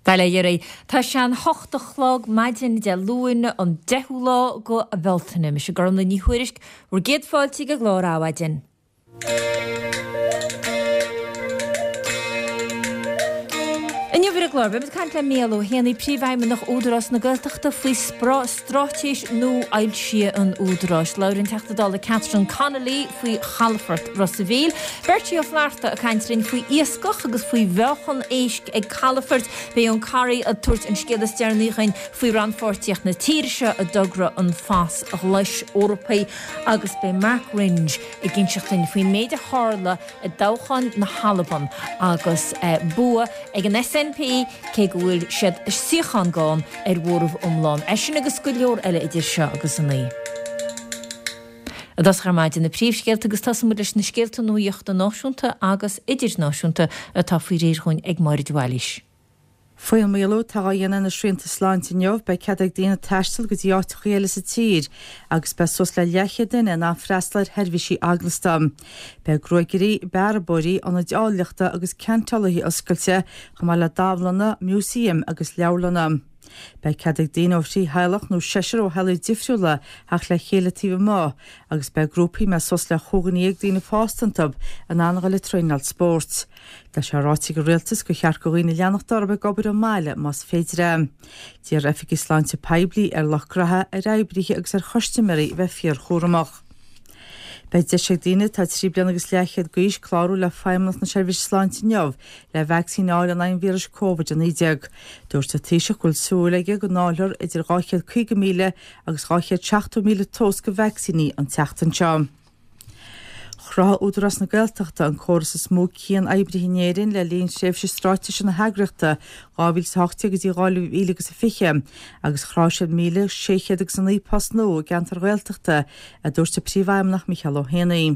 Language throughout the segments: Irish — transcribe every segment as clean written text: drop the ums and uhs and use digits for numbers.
Bail ó Dhia oraibh. Tá sé an hocht a chlog maidin Dé Luain an 10ú lá go Bhealtaine. Mise Gormlaith Ní Thuairisg, bhur gcéad fáilte ag an gclár Adhmhaidin. Inniu ar an gclár, beimid ag caint le Mícheál Ó hÉanaí, Príomhfheidhmeannach Údarás na Gaeltachta faoi straitéis nua-fhoilsithe an Údaráis. Labhraíonn an Teachta Dála Catherine Connolly faoi chalafort Ros a' Mhíl. Bertie Ó Flatharta ag caint linn faoi iascach agus faoi mheáchan éisc ag calafoirt. Beidh Eoin Corry ag tabhairt an scéal is deireanaí dhuinn faoi rannpháirtíocht na tíre seo i dtogra an Phas Ghlais Eorpaigh agus beidh Mark Ringe ag inseacht duinn faoin méid a tharla i dtoghchán na hAlban agus bua ag an SNP cé go bhfuil siad suíochán gann ar mhóramh iomlán. É sin agus go leor eile idir seo agus a 9. I dtosach ar maidin na príomhscéalta agus tosóidh muid leis na scéalta nuachta náisiúnta agus idirnáisiúnta atá faoi réir dhúinn ag Máire de Bhailís. Faoin maolú atá á dhéanamh ar na srianta sláinte inniu, beidh cead ag daoine taisteal go dtí áiteachaí eile sa tír agus beidh suas le leathchéad duine in ann freastal ar sheirbhísí eaglasta. Beidh gruaigairí, bearbóirí, ionaid áilleachta agus ceantálaithe oscailte, chomh maith le dánlanna, músaeim agus leabharlanna. Beidh cead ag daoine ó thrí theaghlach nó seisear ó theaghlaigh difriúla theacht le chéile taobh amuigh agus beidh grúpaí a mbeidh suas le chúig dhuine dhéag daoine fásta iontu in ann a dhul ag traenáil spóirt. Tá sé ráite ag an rialtas gur cheart do dhaoine leanacht orthu ag obair ón mbaile más féidir é. D'iarr oifigigh sláinte poiblí ar lucht graithe, ar oibrithe agus ar chustaiméirí a bheith fíorchúramach. Beidh deis ag daoine atá 3 bliana agus leathchéad d'aois clárú le Feidhmeannacht na Seirbhíse Sláinte inniu le vacsaín a fháil in aghaidh an víris Covid-19. Dúirt an Taoiseach go bhfuil súil aige go ndáilfear idir 250,000 agus 270,000 tomhas de vacsaíní an tseachtain seo. Chruthaigh Údarás na Gaeltachta an córas is mó cian-oibrithe in Éirinn le linn thréimhse straitéise na heagraíochta 2018 go dtí 2020 agus chruthaigh siad 1,609 post nua i gceantair Ghaeltachta, a dúirt a Príomhfheidhmeannach Micheál Ó hÉanaí.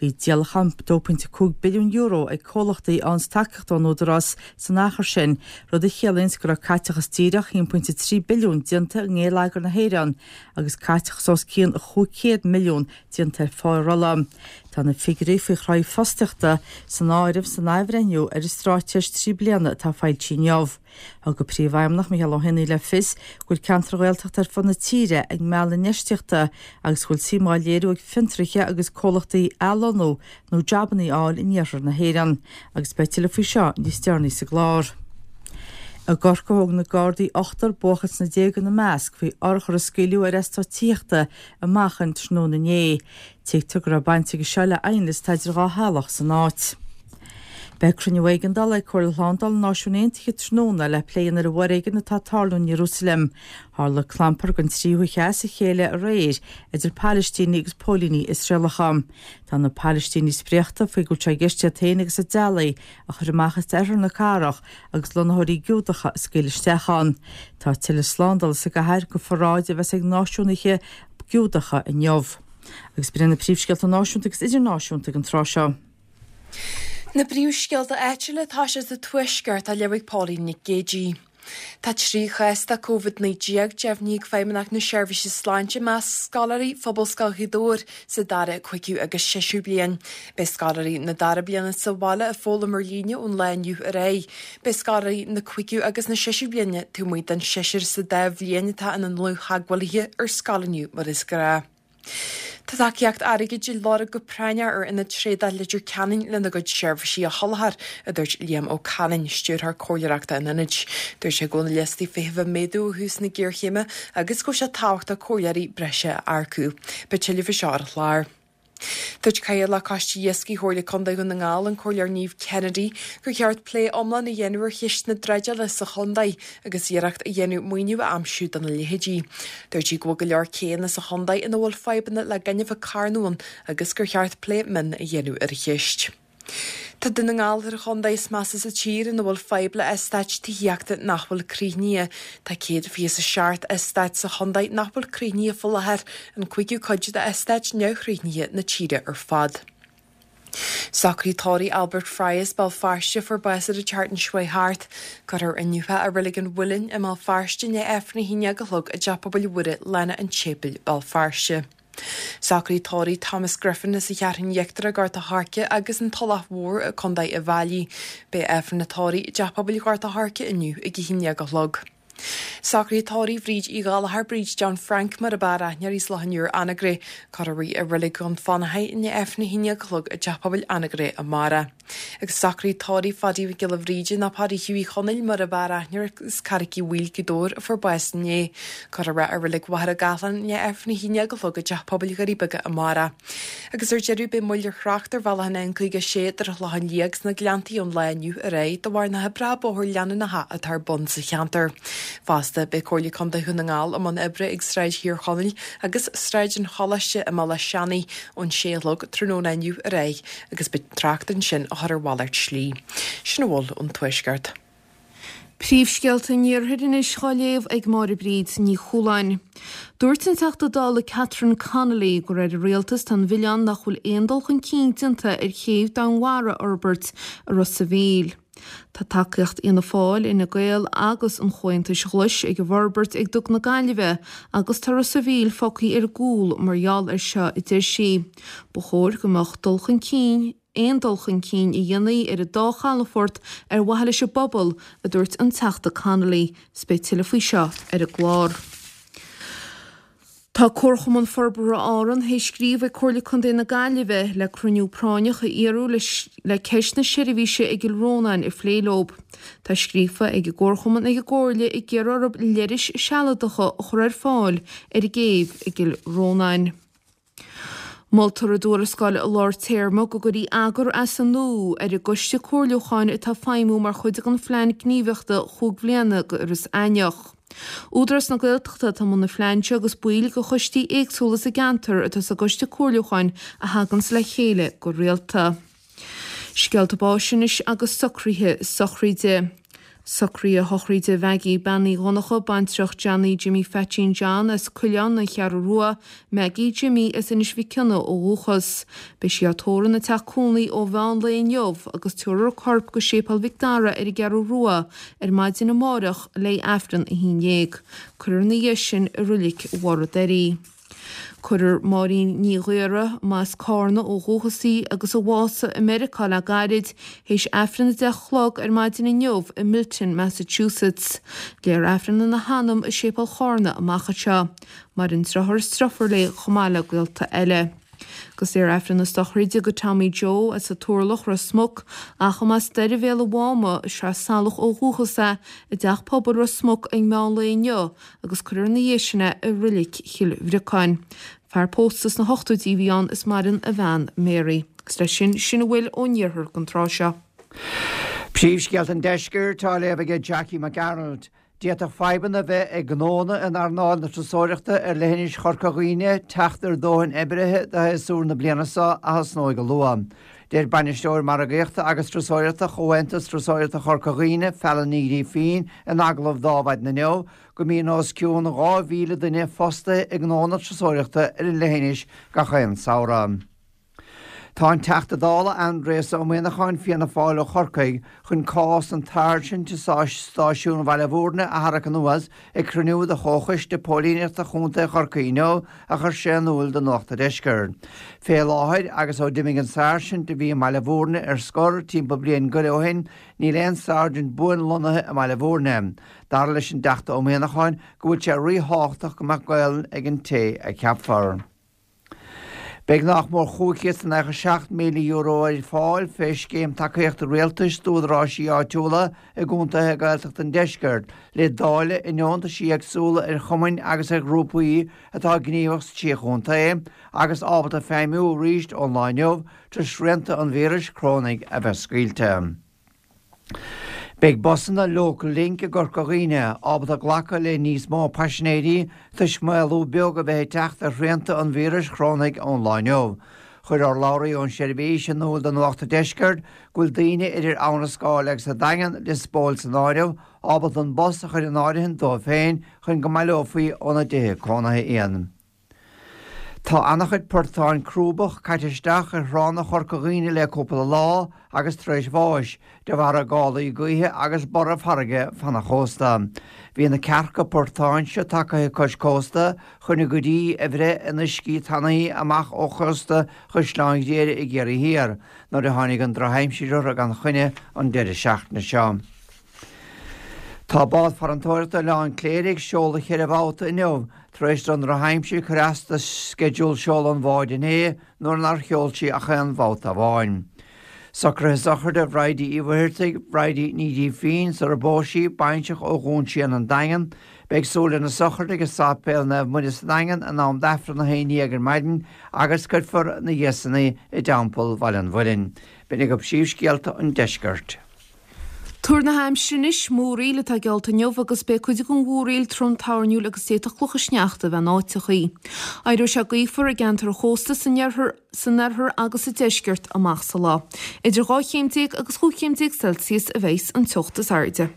Bhí díolachán €2.5 billiún ag comhlachtaí a fhaigheanns tacaíocht ón Údarás san achar sin, rud a chiallaíonns go raibh caiteachas díreach 1.3 billiún déanta i ngeilleagar na hÉireann agus caiteachas os cionn 500 milliún déanta ar phárolla. Tá na figiúirí faoi chruthú fostaíochta san áireamh san athbhreithniú ar an straitéis 3 bliana atá foilsithe inniu. Thug an Príomhfheidhmeannach Micheál Ó hÉanaí le fios go bhfuil ceantair Ghaeltachta ar fud na tíre ag mealladh infheistíochta agus go bhfuil suim á léiriú ag fiontraithe agus comhlachtaí athlonnú nó jabanna a fháil in iarthar na hÉireann agus beidh tuilleadh faoi seo níos deireanaí sa gclár. I gCorcaigh thóg na Gardaí ochtar, buachaill sna déaga ina measc, faoi urchar a scaoileadh ar eastát tithíochta i Machain tráthnóna inné. Tuigtear go raibh baint aige seo le aighneas atá idir dhá theaghlach san áit. Beidh cruinniú éigeandála ag Comhairle Shlándála na Náisiún Aontaithe tráthnóna le plé a dhéanamh ar an bhforéigean atá ag tarlú in Iarúsailéim. Tharla clampar don tríú hoíche as a chéile aréir idir Palaistínigh agus póilíní Iosraelacha. Tá na Palaistínigh spréachta faoi go bhfuil sé i gceist iad féin agus a dteaghlaigh a chur amach as oirthear na cathrach agus lonnaitheoirí Giúdacha a scaoileadh isteach ann. Tá tuilleadh slándála sa gcathair do pharáid a bheas ag náisiúnaithe Giúdacha inniu. Agus b'in iad na príomhscéalta náisiúnta agus idirnáisiúnta ag an tráth seo. Na príomhscéalta áitiúla atá sé sa Tuaisceart á léamh ag Pauline Nic Géidigh. Tá 3 chás de Covid-19 deimhnithe ag Feidhmeannacht na Seirbhíse Sláinte i measc scoláirí Phobalscoil Ghaoth Dobhair sa dara, cúigiú agus séú bliain. Beidh scoláirí na dara bliana sa bhaile ag foghlaim ar líne ón lá inniu ar aghaidh. Beidh scoláirí na cúigiú agus na séú bliana taobh amuigh den seisear sa dá bhliain atá ina ndlúth-theagmhálaithe ar scoil inniu mar is gnáth. Tá tacaíocht airgid á lorg go práinneach ar Ionad Trádála Leitir Ceanainn lena gcuid seirbhísí a sholáthar, a dúirt Liam Ó Canáin, Stiúrthóir Comhairleoireachta an Ionaid. Dúirt sé go bhfuil na liostaí feithimh ag méadú ó thús na géarchéime agus go bhfuil sé tábhachtach comhairleoirí breise a earcú. Beidh tuilleadh faoi seo ar an chlár. Dúirt Cathaoirleach Choiste Iascaigh Chomhairle Contae Dhún na nGall, an Comhairleoir Niamh Kennedy, gur cheart plé iomlán a dhéanamh ar cheist na dreideála sa chontae agus iarracht a dhéanamh maoiniú a aimsiú dona leithéidí. Dúirt sí go bhfuil go leor céanna sa chontae ina bhfuil fadhbanna le gaineamh ag carnadh ann agus gur cheart plé mion a dhéanamh ar an cheist. Tá Dún na nGall ar an chontae is measa sa tír ina bhfuil fadhb le eastáit tithíochta nach bhfuil críochnaithe. Tá 127 eastát sa chontae nach bhfuil críochnaithe faoi láthair, an cúigiú cuid d'eastáit neamhchríochnaithe na tíre ar fad. Socraid tórraimh Albert Fry as Béal Feirste a fuair bás ar an tseachtain seo chuaigh thart. Cuirfear inniu é i Reilig an Mhuilinn i mBéal Feirste i ndiaidh Aifreann a haon déag a chlog i dTeach Pobail Mhuire, Lána an tSéipéil, Béal Feirste. Socruithe tórraimh Thomas Griffin as an Cheathrún Íochtarach, Gort a' Choirce agus an Tulach Mhór i Contae Uíbh Fhailí. Beidh Aifreann an tórraimh i dTeach Pobail Ghort a' Choirce inniu ag 11 a chlog. Socruithe tórraimh Bhríd Uí Ghallchóir, Bríd John Frank mar ab fhearr aithne uirthi as Loch an Iúir, Anagaire. Cuirfear í i Reilig Dhún Fionnachaidh i ndiaidh Aifreann a 11 a chlog i dTeach Pobail Anagaire amárach. Agus socruithe tórraimh Phadaí Mhic Giolla Bhríde nó Paddy Hughie Chonaill mar ab fhearr aithne air as Carraic Uí Bhaoill, Gaoth Dobhair, a fuair bás inné. Cuirfear é i Reilig Mhachaire Gathlán i ndiaidh Aifreann a 11 a chlog i dTeach Pobail Dhoirí Beaga amárach. Agus ar deireadh beidh moill ar thrácht ar bhealach an N56 idir an Chlochán Liath agus na Gleanntaí ón lá inniu ar aghaidh de bharr na hoibreacha bóthair leanúnacha atá ar bun sa cheantar. Fosta beidh Comhairle Contae Dhún na nGall i mbun oibre ag Sráid Thír Chonaill agus Sráid an Choláiste i mBealach Seanaidh ón sé a chlog tráthnóna inniu ar aghaidh agus beidh trácht ansin á chur ar mhalairt slí. Sin a bhfuil ón Tuaisceart. Príomhscéalta an Iarthair anois á léamh ag Máire Bríd Ní Chualáin. Dúirt an Teachta Dála Catherine Connolly gur ar an Rialtas atá an mhilleán nach bhfuil aon dul chun cinn déanta ar chéibh Domhainmhara a fhorbairt i Ros a' Mhíl. Tá tacaíocht Fhianna Fáil, Fhine Gael agus an Chomhaontais Ghlais ag an bhforbairt ag Duc na Gaillimhe agus tá Ros a' Mhíl fágtha ar gcúl mar gheall air seo, a deir sí. Ba chóir go mbeadh dul chun cinn aon dul chun cinn a dhéanfaí ar an dá chalafort ar mhaithe leis an bpobal, a dúirt an Teachta Connolly. 'S beidh tuilleadh faoi seo ar an gclár. Tá Comharchumann Forbartha Árann théis scríobh ag Comhairle Contae na Gaillimhe le cruinniú práinneach a iarraidh le ceist na seirbhíse i gCill Rónáin a phlé leo. Tá scríofa ag an gComharchumann ag an gComhairle ag iarraidh orthu leithris sealadacha a chur ar fáil ar an gcéibh i gCill Rónáin. Moltar i dtuarascáil lár téarma go gcuirfí eagar as an nua ar an gcoiste comhairliúcháin atá ag feidhmiú mar chuid den phlean gníomhaíochta chúig bhliana do Iorras Aithneach. Údarás na Gaeltachta atá i mbun an phlean seo agus baill de choistí éagsúla sa gceantar atá sa gcoiste comhairliúcháin a thaganns le chéile go rialta. Scéalta báis anois agus socruithe sochraide. Socruithe sochraide Mhaggie Bean Uí Dhonncha, baintreach Johnny Jimmy Pheaitsín John as Coileán, An Cheathrú Rua, Maggie Jimmy as Inis Mhic Cionnaith ó dhúchas. Beidh sí á tórramh ina teach cónaí ó mheán lae inniu agus tabharfar a corp go Séipéal Mhic Dara ar an gCeathrú Rua ar maidin amárach le Aifreann 11. Cuirfear ina dhiaidh sin i Roilic Bharr an Doirí. Cuirfear Máirín Ní Ghaora, mb'as Cárna ó dhúchas í agus a bhásaigh i Meiriceá le gairid, théis Aifreann 10 a chlog ar maidin inniu i Milton, Massachusetts. Léifear Aifreann ina hanam i Séipéal Chárna amach anseo. Maireann driotháir is driofúr léi chomh maith le gaolta eile. Agus léifear Aifreann na sochraide do Tommy Joe as an Turlach, Ros Muc, ach a mb'as Doire Bhéal an Mháma, Sraith Salach ó dhúchas é, i dTeach Pobail Ros Muc ag meán lae inniu agus cuirfear ina dhiaidh sin é i Roilic Chill Bhriocáin. Fear pósta sna hochtóidí a bhí ann is maireann a bhean Mary. Agus leis sin, sin a bhfuil ón iarthar don tráth seo. Príomhscéalta an Deiscirt á léamh aige Jackie Mac Gearailt. D'fhéadfadh fadhbanna a bheith ag gnónna in earnáil na turasóireachta ar leithinis Chorca Dhuibhne teacht ar dóthain oibrithe do shéasúr na bliana seo a thosnóidh go luath. Deir Bainisteoir Margaíochta agus Turasóireachta Chomhaontas Turasóireachta Chorca Dhuibhne, Fallon Ní Ghrífín, in agallamh d'Adhmhaidin inniu, go mbíonn os cionn 2,000 duine fostaithe i ngnónna turasóireachta ar an leithinis gach aon samhradh. Tá an Teachta Dála Aindrias Ó Muimhneacháin, Fianna Fáil ó Chorcaigh, chun cás an tSáirsint i Stáisiún Bhaile Bhúirne a tharrac anuas ag cruinniú de Chomhchoiste Póilíneachta Chontae Chorcaí inniu, a chuir sé in iúl do Nuacht a' Deiscirt. Fé láthair, agus ó d'imigh an sáirsint a bhí i mBaile Bhúirne ar scor timpeall bliain go leith ó shin, níl aon sáirsint buan lonnaithe i mBaile Bhúirne. Dar leis an dTeachta Ó Muimhneacháin go bhfuil sé ríthábhachtach go mbeadh Gaolainn ag an té a cheapfar. Beidh nách mór €597,000 ar fáil fé Scéim Tacaíochta Rialtais d'Údaráisí Áitiúla i gcontaetha Gaeltachta an Deiscirt le dáileadh i ndeontaisí éagsúla ar chumainn agus ar ghrúpaí atá gníomhach sa trí chontae agus ábalta feidhmiú arís ón lá inniu tar éis srianta an víris chrónaigh a bheith scaoilte. Beidh busanna Local Link i gCorca Dhuibhne ábalta glacadh le níos mó paisinéirí toisc maolú beag a bheith ag teacht ar shrianta an víris chrónaigh ón lá inniu. Chuir urlabhraí ón seirbhís in iúl do Nuacht an Deiscirt go bhfuil daoine idir Abha na Scáil agus an Daingean, Lios Póil san áireamh, ábalta an bus a chur in áirithint dóibh féin chun go mbaileofaí óna dtithe cónaithe iad. Tá ana-chuid portán crúbach caite isteach ar thránna Chorca Dhuibhne le cúpla lá agus tar éis bháis de bharra gálaí gaoithe agus borradh farraige fan an chósta. Bhí na cearca portáin seo tagaithe cois cósta chun a gcuid dí a bhreith in uiscí tanaí amach ó chósta Chaisleán Ghriaire i gCiarraí Thiar nuair a tháinig an drochaimsir orthu gan choinne an deireadh seachtaine seo. Tá bád farantóireachta Oileán Cléire ag seoladh cheithre bhabhta inniu tar éis don drochaimsir cur as do sceideal seoladh an bháid inné nuair nár sheol sí ach aon bhabhta amháin. Socruithe sochraide Bhridie Uí Mhuircheartaigh, Bridie Ní Ghrífín, sar a bpós sí, bainseach ó Dhún Síon an Daingean. Beidh súil lena sochraid ag Sáipéal Naomh Muire sa Daingean in am d'Aifreann 11 ar maidin agus cuirfear ina dhiaidh san í i dTeampall Bhaile an Mhuilinn. B'in agaibh príomhscéalta an deiscirt. Tuar na haimsire anois, múraíl atá geallta inniu agus beidh cuid den mhúraíl trom toirniúil agus d'fhéadfadh clocha sneachta a bheith in áiteachaí. Éireoidh sé gaofar i gceantar an chósta san iarthar, san oirthear agus sa deisceart amach sa lá. Idir 12 chéim agus 15 chéim Celsius a bheas an teocht is airde.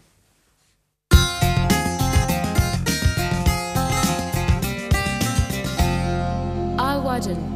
Adhmhaidin.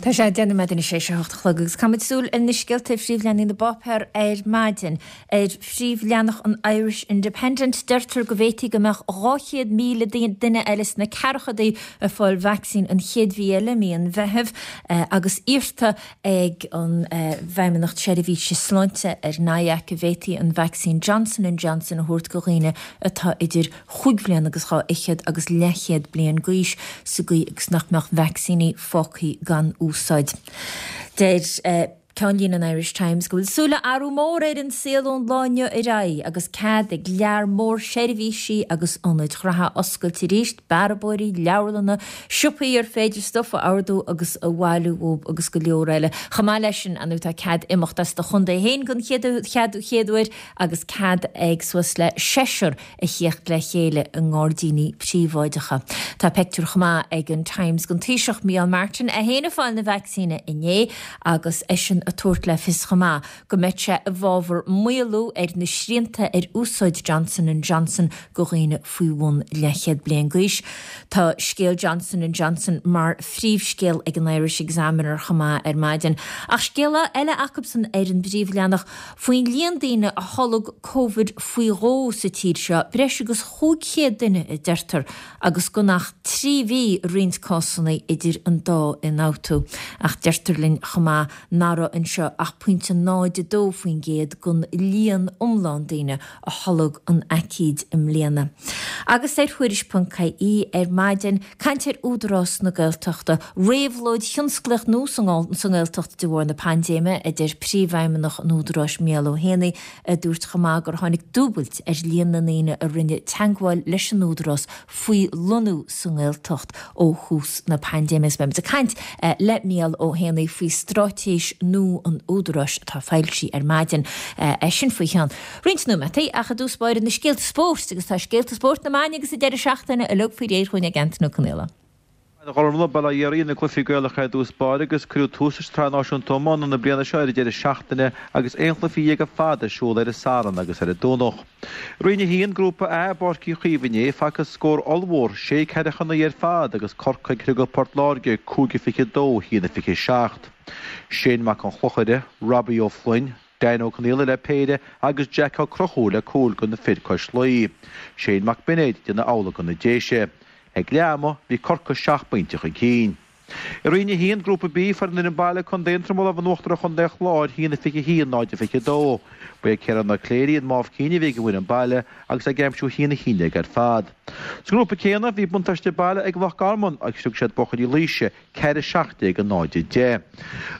Tá sé 10 nóiméad anois théis a hocht a chlog agus caithfimid súil ar na scéalta ar phríomhleathanaigh na bpáipéar ar maidin. Ar phríomhleathanach an Irish Independent deirtear go bhféadfaí go mbeadh 200,000 duine eile sna ceathrachaidí ag fáil vacsaín an chéad mhí eile, mí an Mheithimh, agus iarrta ag an bhFeidhmeannacht Seirbhíse Sláinte ar NIAC go bhféadfaí an vacsaín Johnson and Johnson a thabhairt go dhaoine atá idir chúig bhliana agus dhá fhichead agus leathchéad bliain d'aois sa gcaoi agus nach mbeadh vacsaíní fágtha gan úsáid. Deir ceannlíne an Irish Times go bhfuil súil le athrú mór ar an saol ón lá inniu ar aghaidh agus cead ag lear mór seirbhísí agus ionaid ghraithe oscailt arís, bearbóirí, leabharlanna, siopaí ar féidir stuif a ordú agus a bhailiú uathu agus go leor eile. Chomh maith leis sin, ar ndóigh, tá cead imeacht as do chontae féin den chéad uair agus cead ag suas le seisear a thíocht le chéile i ngairdíní príobháideacha. Tá peictiúr chomh maith ag an Times den Taoiseach Micheál Martin é féin ag fáil na vacsaíne inné agus eisean ag tabhairt le fios chomh maith go mbeidh sé i bhfabhar maolú ar na srianta ar úsáid Johnson and Johnson go dhaoine faoi bhun leathchéad bliain d'aois. Tá scéal Johnson and Johnson mar phríomhscéal ag an Irish Examiner chomh maith ar maidin. Ach scéal eile acubsan ar an bpríomhleathanach faoin líon daoine a tholg Covid faoi dhó sa tír seo, breis agus 500 duine a deirtear, agus gan ach 3 mhí i roinnt cásanna idir an dá ionfhabhtú. Ach deirtear linn chomh maith nach raibh anseo ach pointe 0.2% den líon iomlán daoine a tholg an aicíd i mbliana. Agus ar Thuairisc.ie ar maidin, caint ar Údarás na Gaeltachta, réabhlóid thionsclaíoch nua sa nGaeltacht de bharr na paindéime, a deir Príomhfheidhmeannach an Údaráis Mícheál Ó hÉanaí, a dúirt chomh maith gur tháinig dúbailt ar líon na ndaoine a rinne teagmháil leis an Údarás faoi lonnú sa nGaeltacht ó thús na paindéime. Agus beimid ag caint le Mícheál Ó hÉanaí faoi straitéis nua an Údaráis atá foilsithe ar maidin. É sin faoi cheann roinnt nóimeataí ach i dtús báire na scéalta spóirt agus tá scéalta spóirt na maidine agus an deireadh seachtaine uilig faoi réir chugainn ag Antain Ó Conaola. A Ghormfhlaith, bail ó Dhia oraibh, na cluichí Gaelacha ar dtús báire agus cuireadh tús leis an tSraith Náisiúnta Iomána na bliana seo ar an deireadh seachtaine agus aon chluiche dhéag ar fad ar siúl ar an Satharn agus ar an Domhnach. Roinn 1, Grúpa A, i bPáirc Uí Chaoimh inné, facthas scór ollmhór, sé ceathracha 9 ar fad agus Corcaigh ag criogadh Port Láirge, 5-22, 1-27. Shane Mac an Chlochaire, Robbie Ó Floinn, Dan Ó Conaola le péire agus Jack Ó Conchúir le cúl do na fir cois Laoi. Shane Mac Beinéid ag déanamh amhlaidh do na Déise. Ag leath ama, bhí Corcaigh seacht bpointe chun cinn. I Roinn 1, Grúpa B, fuair an fhoireann baile, Contae Aontroma, lámh in uachtar ar Chontae an Chláir, 1-21, 0-22. Ba é Ciarán Ó Cléirigh an mámh cinn a bhí ag an bhfoireann baile agus é ag aimsiú 1-11 ar fad. Sa ngrúpa céanna, bhí buntáiste baile ag Loch Garman agus chriog siad buachaillí Laoise, 4, 17, 0, 10.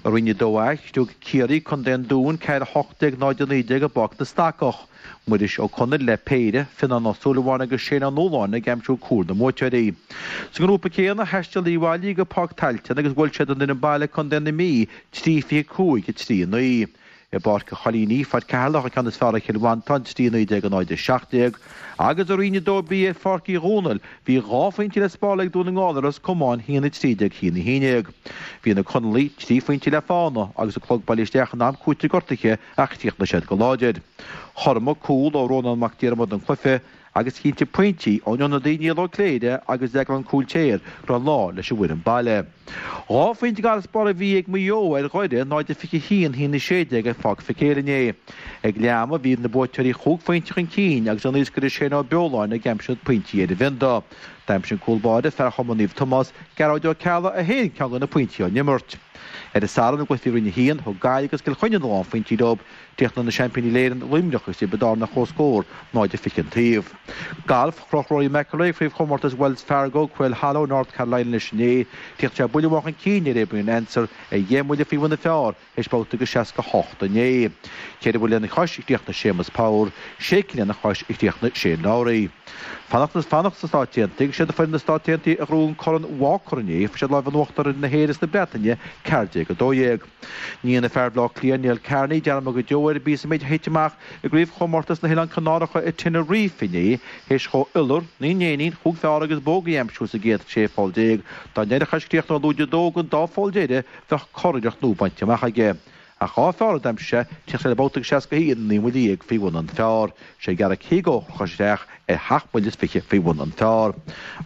I Roinn 2A, chriog Ciarraí, Contae an Dúin, 4, 18, 0, 19 i bPáirc na Stacach. Muiris Ó Conaill le péire, Fionnán Ó Súilleabháin agus Shane Ó Nualláin ag aimsiú cúil na mbuaiteoirí. Sa ngrúpa céanna, thaistil Uíbh Fhailí go Páirc Tailteann agus bhuail siad an fhoireann baile, Contae na Mí, 3, 25, 3, 9. I bPáirc an Choilínigh, fuair Ceatharlach an ceann is fearr ar Chill Mhantáin, 3, 19, 0, 17, agus i Roinn 2B ar Pháirc Uí Dhónaill, bhí dhá phointe le spáráil ag Dún na nGall ar Ros Comáin, 1, 13, 1, 11. Bhí na Conallaigh trí phointe le fána agus an clog bailithe isteach in am cúitimh gortaithe ach chríochnaigh siad go láidir. Chothromaigh cúl ó Rónán Mac Diarmada an cluiche. Agus chinntigh pointí ón ionadaí Niall Ó Cléire agus Deaglán Cúiltéir go raibh an lá leis an bhfoireann baile. 2 phointe d'fharasbarr a bhí ag Maigh Eo ar Dhoire, 0-21, 1-16 ar Pháirc Mhic Éil inné. Ag leath ama bhí na buaiteoirí chúig phointe chun cinn agus an iascaire Shane Ó Beoláin ag aimsiú na pointí ar an bhionda. D'aimsigh an cúl báire, fear Chumann Naomh Tomás, Gearóid Ó Ceallaigh an t-aon ceann de na pointí ón imirt. Ar an Satharn i gcluichí Roinn 1, thug Gaillimh agus Cill Chainnigh na lánphointí leo. Chríochnaigh na seaimpíní Éireann, Luimneach agus Tiobraid Árann ar comhscór, 0-20 an taobh. Galf, Chroch Rory McIlroy craobhchomórtas Wells Fargo, Quail Hollow, North Carolina anois inné. Chríochnaigh sé buille amháin chun cinn ar Abraham Ancer ar dheich mbuille faoi bhun an phar théis babhta de 68 inné. Ceithre bhuille lena chois a chríochnaigh Séamus Power, sé cinn lena chois a chríochnaigh Shane Lowry. Fanacht fanacht sna Stáit Aontaithe, is iad foireann na Stát Aontaithe a ghnóthaigh an Corn Walker inné, fuair siad lámh in uachtar ar na hÉireann is na Breataine, 14-12. Ní dhéanfaidh fear Bhaile Átha Cliath, Niall Kearney, dearmad go deo ar an bpíosa méid a thit amach i gCraobhchomórtas na nOileán Canáracha i Tenerife inné, théis dhó iolar, naoi n-éinín, chúig pheár agus bógaí a aimsiú sa gcéad 16 pholl. Dá ndéanfadh é is críochnú ar lúide dó den dá pholl deiridh, bheadh curiarracht nua bainte amach aige. Ach 2 pheár a d'aimsigh sé, chríochnaigh sé le babhta de 61, 19 mbuille faoi bhun an phar. Sé Garrick Higgo a chroch isteach ar sheacht mbuille is fiche faoi bhun an phar.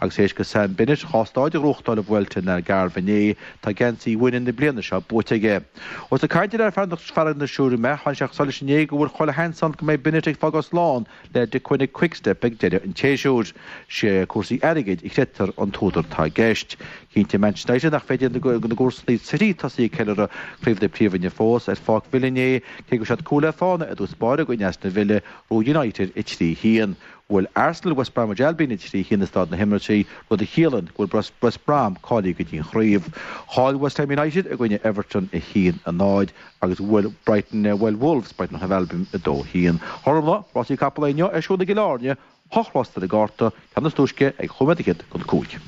Agus théis do Sam Bennett 2 stáid a ghnóthachtáil i Vuelta an Algarve inné, tá geansaí uaine na bliana seo buaite aige. Ós ag caint ar fhear na Siúire mé, tháinig sé chun solais inné go bhfuil chuile sheans ann go mbeidh Bennett ag fágáil slán le Deceuninck Quick-Step ag deireadh an tséasúir. Sé cúrsaí airgid a chreidtear an t-údar atá i gceist. Chinntigh Manchester United nach féidir lena gcomharsana City tosaí ag ceiliúradh Craobh na Príomhroinne fós ar Pháirc Villa inné, cé go raibh siad cúl le fána i dtús báire i gcoinne Aston Villa, Bhuaigh United 3-1. Bhuail Arsenal West Bromwich Albion 3-1 i Staid na hImeartha, rud a chiallaíonn go bhfuil West Brom cáilithe go dtí an chraobh. Chaill West Ham United i gcoinne Everton 1-0 agus bhuail Brighton bhuail Wolves Brighton and Hove Albion 2-1. Gormfhlaith, rásaí capall inniu ar siúl i gCill Airne, 8 rás ar an gcárta, ceann is túisce ag chúig nóiméad fhichead chun 5.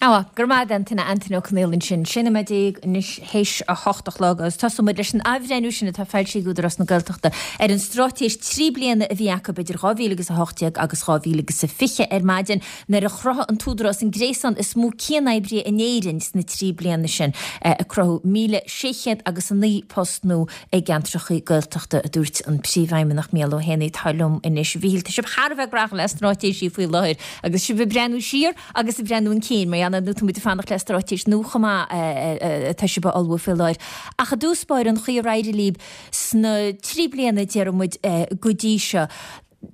Á, go raibh maith agat Antaine, Antaine Ó Conaola ansin. 16 nóiméad anois théis a hocht a chlog agus tosóidh muid leis an athbhreithniú sin atá foilsithe ag Údarás na Gaeltachta ar an straitéis 3 bliana a bhí acu idir 2000 agus 18 agus 2020 ar maidin nuair a chruthaigh an tÚdarás an gréasán is mó cianoibrithe in Éirinn sna 3 bliana sin ag cruthú 1,600 agus 9 post nua i gceantracha Gaeltachta a dúirt an Príomhfheidhmeannach Mícheál Ó hÉanaí atá liom anois. A Mhíchíl, tá sibh thar a bheith gnóthach le straitéisí faoi láthair agus sibh ag breathnú siar Agus ag breathnú chun cinn, mar gheall ar ndóigh tá muid ag fanacht le straitéis nua chomh maith atá sibh a ullmhú faoi láthair. Ach i dtús báire, an chaoi ar éirigh libh sna 3 bliana, déarfaidh muid, go dtí seo,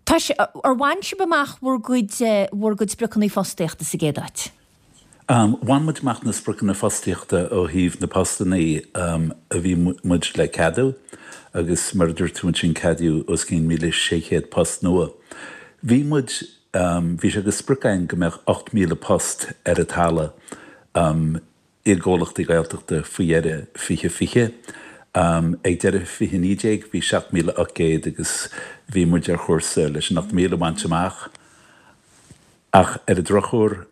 tá sé, ar bhain sibh amach bhur gcuid, bhur gcuid spriocanna fostaíochta sa gcéad áit? Bhain muid amach na spriocanna fostaíochta ó thaobh na postannaí a bhí muid le ceadú agus mar a dúirt tú ansin ceadaíodh os cionn 1,600 post nua. Bhí muid Bhí sé de sprioc againn go mbeadh 8,000 post ar an talamh i gcomhlachtaí Gaeltachta faoi dheireadh 2020. Ag deireadh 2019 bhí 7,800 agus bhí muid ar chúrsa leis an 8,000 a bhaint amach. Ach ar an drochuair,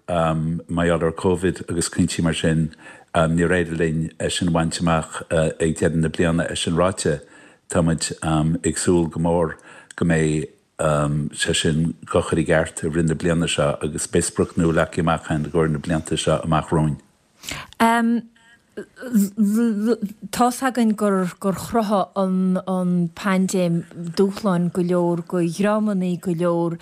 mar gheall ar Covid agus cúinsí mar sin, níor éirigh linn é sin a bhaint amach ag deireadh na bliana. É sin ráite, tá muid ag súil go mór go mbeidh sé sin dhá chur i gceart i rith na bliana seo agus beidh sprioc nua leagtha amach againn i gcomhair na blianta seo amach romhainn. Tá's againn gur gur chruthaigh an an paindéim dúshláin go leor go dhreamannaí go leor.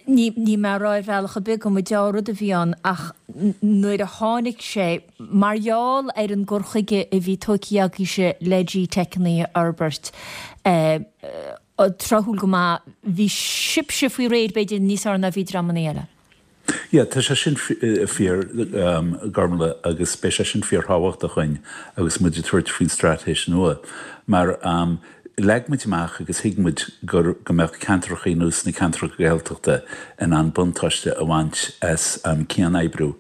Ní ní mé a rá ar bhealach ar bith go mba dea-rud a bhí ann ach nuair a tháinig sé mar gheall ar an gcur chuige a bhí tógtha agaibhse le GTeiceanna a fhorbairt, tráthúil go maith. Bhí sibhse faoi réir, b'fhéidir, níos fearr ná bhí dreamanna eile. Yeah, tá sé sin fíor, Gormlaith, agus beidh sé sin fíorthábhachtach dhúinn agus muid ag tabhairt faoin straitéis nua. Mar leag muid amach agus thuig muid gur, go mbeadh ceantracha ar nós na ceantracha Gaeltachta in ann buntáiste a bhaint as cian-oibriú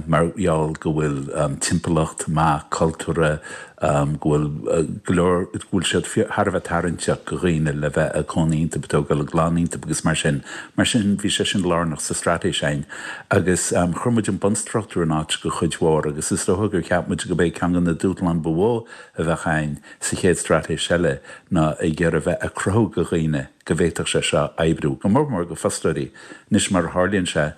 mar gheall go bhfuil timpeallacht maith cultúrtha, go bhfuil go leor, go bhfuil siad thar a bheith tarraingteach go dhaoine le bheith ag cónaí iontu, ag tógáil a gclann iontu agus mar sin. Mar sin, bhí sé sin lárnach sa straitéis againn. Agus chuir muid an bunstruchtúr in áit go chuid mhór agus is dócha gur cheap muid go b'é ceann de na dúshláin ba mhó a bheadh againn sa chéad straitéis eile ná ag iarraidh bheith ag cruthú go dhaoine go bhféadfadh sé seo oibriú, go mór mór go fostóirí. Anois, mar a tharlaíonn sé,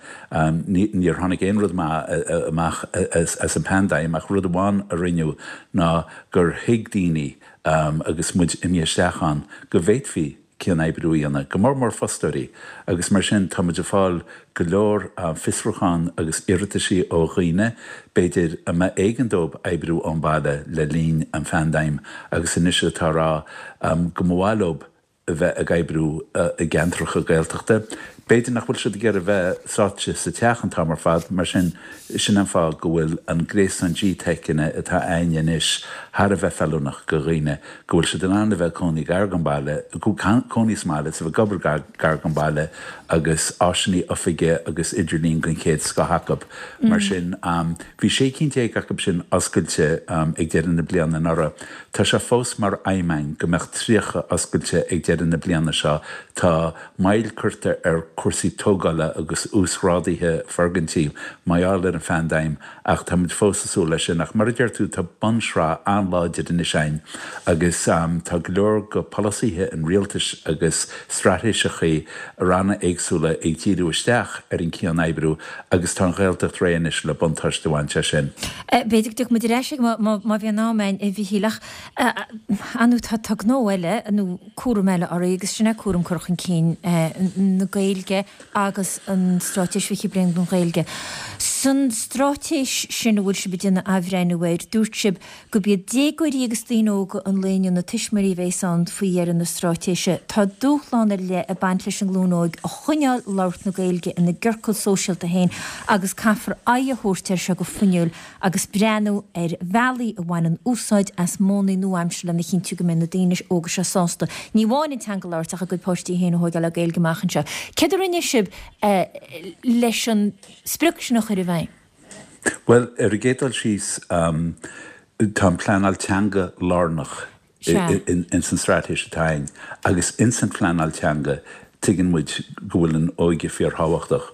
níor tháinig aon rud maith amach as an bpaindéim, ach rud amháin a rinneadh ná gur thuig daoine, agus muid imithe isteach ann, go bhféadfaí. cian-oibriú a dhéanamh, go mór mór fostóirí, agus mar sin tá muid ag fáil go leor fiosrúchán agus iarrataisí ó dhaoine, b'fhéidir, a mba éigean dóibh oibriú ón baile le linn an phaindéim agus anois atá ag rá go mba mhaith leo a bheith ag oibriú i gceantracha Gaeltachta. B'fhéidir nach bhfuil siad ag iarraidh bheith sáite sa teach an t-am ar fad, mar sin, sin an fáth go bhfuil an gréasán GTeiceanna atá a'ainne anois thar a bheith feiliúnach go dhaoine, go bhfuil siad in ann a bheith ag cónaí gar don bhaile, cónaí sa mbaile is a bheith ag obair gar don bhaile agus áiseanna oifige agus idirlíon den chéad scoth acu. Mar sin, bhí 16 cinn acu sin oscailte ag deireadh na bliana anuraidh. Tá sé fós mar aidhm a'ainn go mbeadh 30 oscailte ag deireadh na bliana seo. Tá moill curtha ar cúrsaí tógála agus uasghrádaithe foirgintí mar gheall ar an phaindéim ach tá muid fós ag súil leis sin. Ach mar a deir tú, tá bunsraith an-láidir anois a'ainn agus tá go leor go polasaithe an rialtais agus straitéiseachaí ranna éagsúla ag díriú isteach ar an cian-oibriú agus tá an Ghaeltacht réidh anois le buntáiste a bhaint as sin. B'fhéidir go dtiocfaidh muid ar ais air má bhíonn am a'ainn, a Mhichíl, ach ar ndóigh tá gnó eile nó cúram eile oraibh agus sin é cúram cur chun cinn na Gaeilge agus an Straitéis 20 Bliain don Ghaeilge. San straitéis sin a bhfuil sibh ag déanamh athbhreithniú air, dúirt sibh gurb iad déagóirí agus daoine óga an lae inniu na tuismitheoirí a bhéas ann faoi dheireadh na straitéise. Tá dúshlán ar leith ag baint leis an nglúin óig a choinneáil ag labhairt na Gaeilge ina gciorcal sóisialta féin agus caithfear aghaidh a thabhairt air seo go fuinniúil agus breathnú ar bhealaí a bhaineann úsáid as modhanna nua-aimseartha lena chinntiú go mbeidh na daoine óga seo sásta ní amháin an teanga a labhairt ach a gcuid páistí féin a thóigeáil le Gaeilge amach anseo. Céard a rinne sibh leis an sprioc sin a chur i bhfeidhm? Bhuel, ar an gcéad dul síos, tá an phleanáil teanga lárnach ins an straitéis atá againn agus ins an phleanáil teanga tuigeann muid go bhfuil an óige fíorthábhachtach.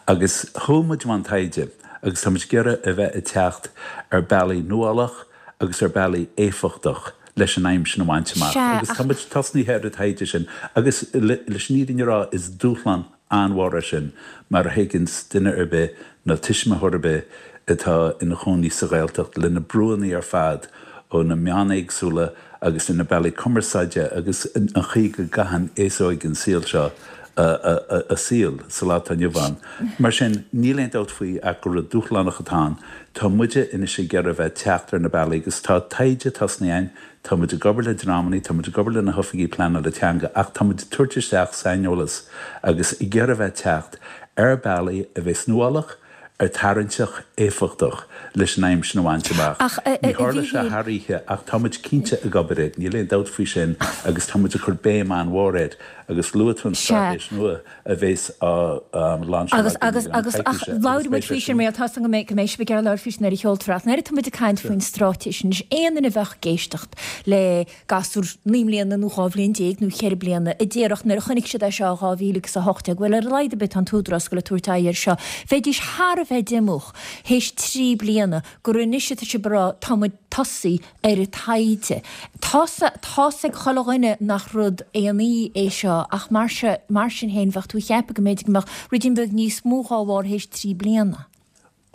Agus chuaigh muid i mbun taighde agus tá muid ag iarraidh a bheith ag teacht ar bealaí nuálach agus ar bealaí éifeachtach leis an aidhm sin a bhaint amach. Agus tá muid tosnaithe ar an taighde sin agus leis an fhírinne a rá is dúshlán an-mhór é sin, mar a thuigeanns duine ar bith nó tuismitheoir ar bith atá ina chónaí sa Ghaeltacht, le na brúanna ar fad ó na meáin éagsúla agus ar na bealaí cumarsáide agus an chaoi go gcaitheann aos óg an saol seo a saol sa lá atá inniu ann. Mar sin, níl aon dabht faoi ach gur rud dúshlánach atá ann. Tá muide anois ag iarraidh a bheith ag teacht ar na bealaí agus tá taighde tosnaithe againn, Tá muid ag obair le dreamannaí, tá muid ag obair le na hoifigí pleanála teanga ach tá muid ag tabhairt isteach saineolas agus ag iarraidh a bheith ag teacht ar bealaí a bheas nuálach, ar tarraingteach, éifeachtach leis an aidhm sin a bhaint amach. Ach, a Ní tharlóidh sé Mhíchíl. thar oíche ach tá muid cinnte ag obair air, níl aon dabht faoi sin agus tá muid ag cur béim an-mhór air agus luaigh tú an Sea. straitéis nua. a bhéas á lainseáil Agus, againn agus, i gceann agus, ach coicíse agus labhróidh muid beidh sé faoi sin, sin. mar tá 's agam go mbeidh, go mbeidh sibh ag iarraidh labhairt faoi sin nuair a sheolfar ach nuair atá muid ag caint faoin straitéis anois, aon duine a bheadh ag éisteacht le gasúr 9 mbliana nó 12 bhliain nó 4 bliana a déarfadh nuair a chonaic siad é seo i 2018, bhuel ar a laghad ar bith tá an tÚdarás ag goil ag tabhairt aghaidh air seo, bheidís thar a bheith díomách théis 3 bliana gur anois atá sibh ag rá tá muid tosaí ar an taighde. Tá's tá's ag chuile dhuine nach rud aon oíche é seo ach mar seo, mar sin féin bheadh tú ag ceapadh go mb'fhéidir go mbeadh ruidín beag níos mó dhá bharr théis 3 bliana.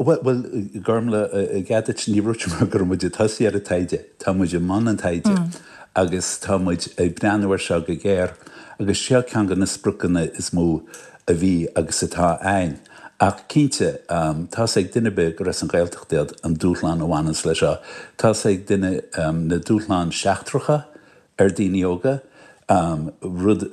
Bhuel, bhuel, Gormlaith, i gcead duit, ní dúirt mé go raibh muid ag tosaí ar an taighde. Tá muid i mbun an taighde agus tá muid ag breathnú air seo go géar agus seo ceann de na spriocanna is mó a bhí agus atá a'ainn. Ach cinnte, tá's ag duine ar bith gur as an Ghaeltacht iad an dúshlán a bhaineanns leis seo. Tá's ag duine na dúshláin seachtracha ar daoine óga, rud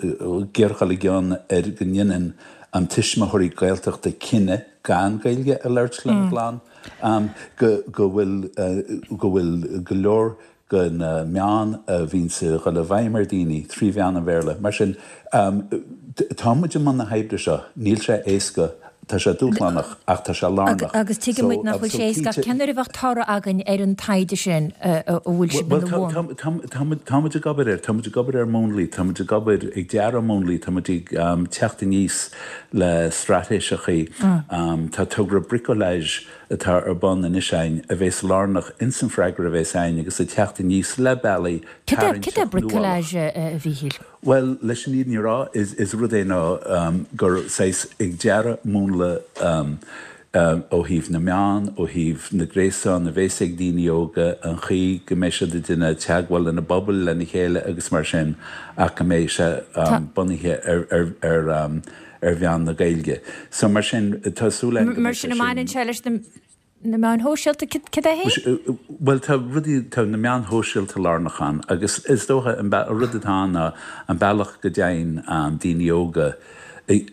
géarghol i gcionn ar go ndéanann an tuismitheoirí Gaeltachta cinneadh gan Gaeilge a labhairt lena gclann, go bhfuil go bhfuil go leor de na meáin a bhíonns ag dul i bhfeidhm ar daoine trí mheán an Bhéarla. Mar sin, tá muid i mbun na hoibre seo. Níl sé éasca, tá sé dúshlánach, ach tá sé lárnach. Agus tuigeann muid nach bhfuil sé éasca, ach cén uair a bheadh toradh againn ar an taighde sin a bhfuil sibh ina bhun? Bhuel, tá muid ag obair air. Tá muid ag obair ar mhúnlaí, tá muid ag obair ag dearadh múnlaí, tá muid ag teacht aníos le straitéiseachaí. Tá togra bricolage atá ar bun anois a'ainn a bhéas lárnach ins an freagra a bhéas a'ainn agus ag teacht aníos le bealaí Cad é tarraingteach nuálach. bricolage, a Mhíchíl? Bhuel, leis an fhírinne a rá, is rud é ná gur saghas ag dearadh múnla. Ó thaobh na meán, ó thaobh na gréasán a bhéas ag daoine óga, an chaoi go mbeidh siad ag déanamh teagmháil lena bpobal, lena chéile agus mar sin ach go mbeidh sé bunaithe ar ar mheán na Gaeilge. So mar sin, tá súil againn go Mar mbeidh sé sin, an mbaineann sin. sé leis na na meáin shóisialta? Cad é féin? Bhuel, tá rudaí, tá na meáin shóisialta lárnach ann agus is dócha an rud atá ann ná an bealach go dtéann daoine óga i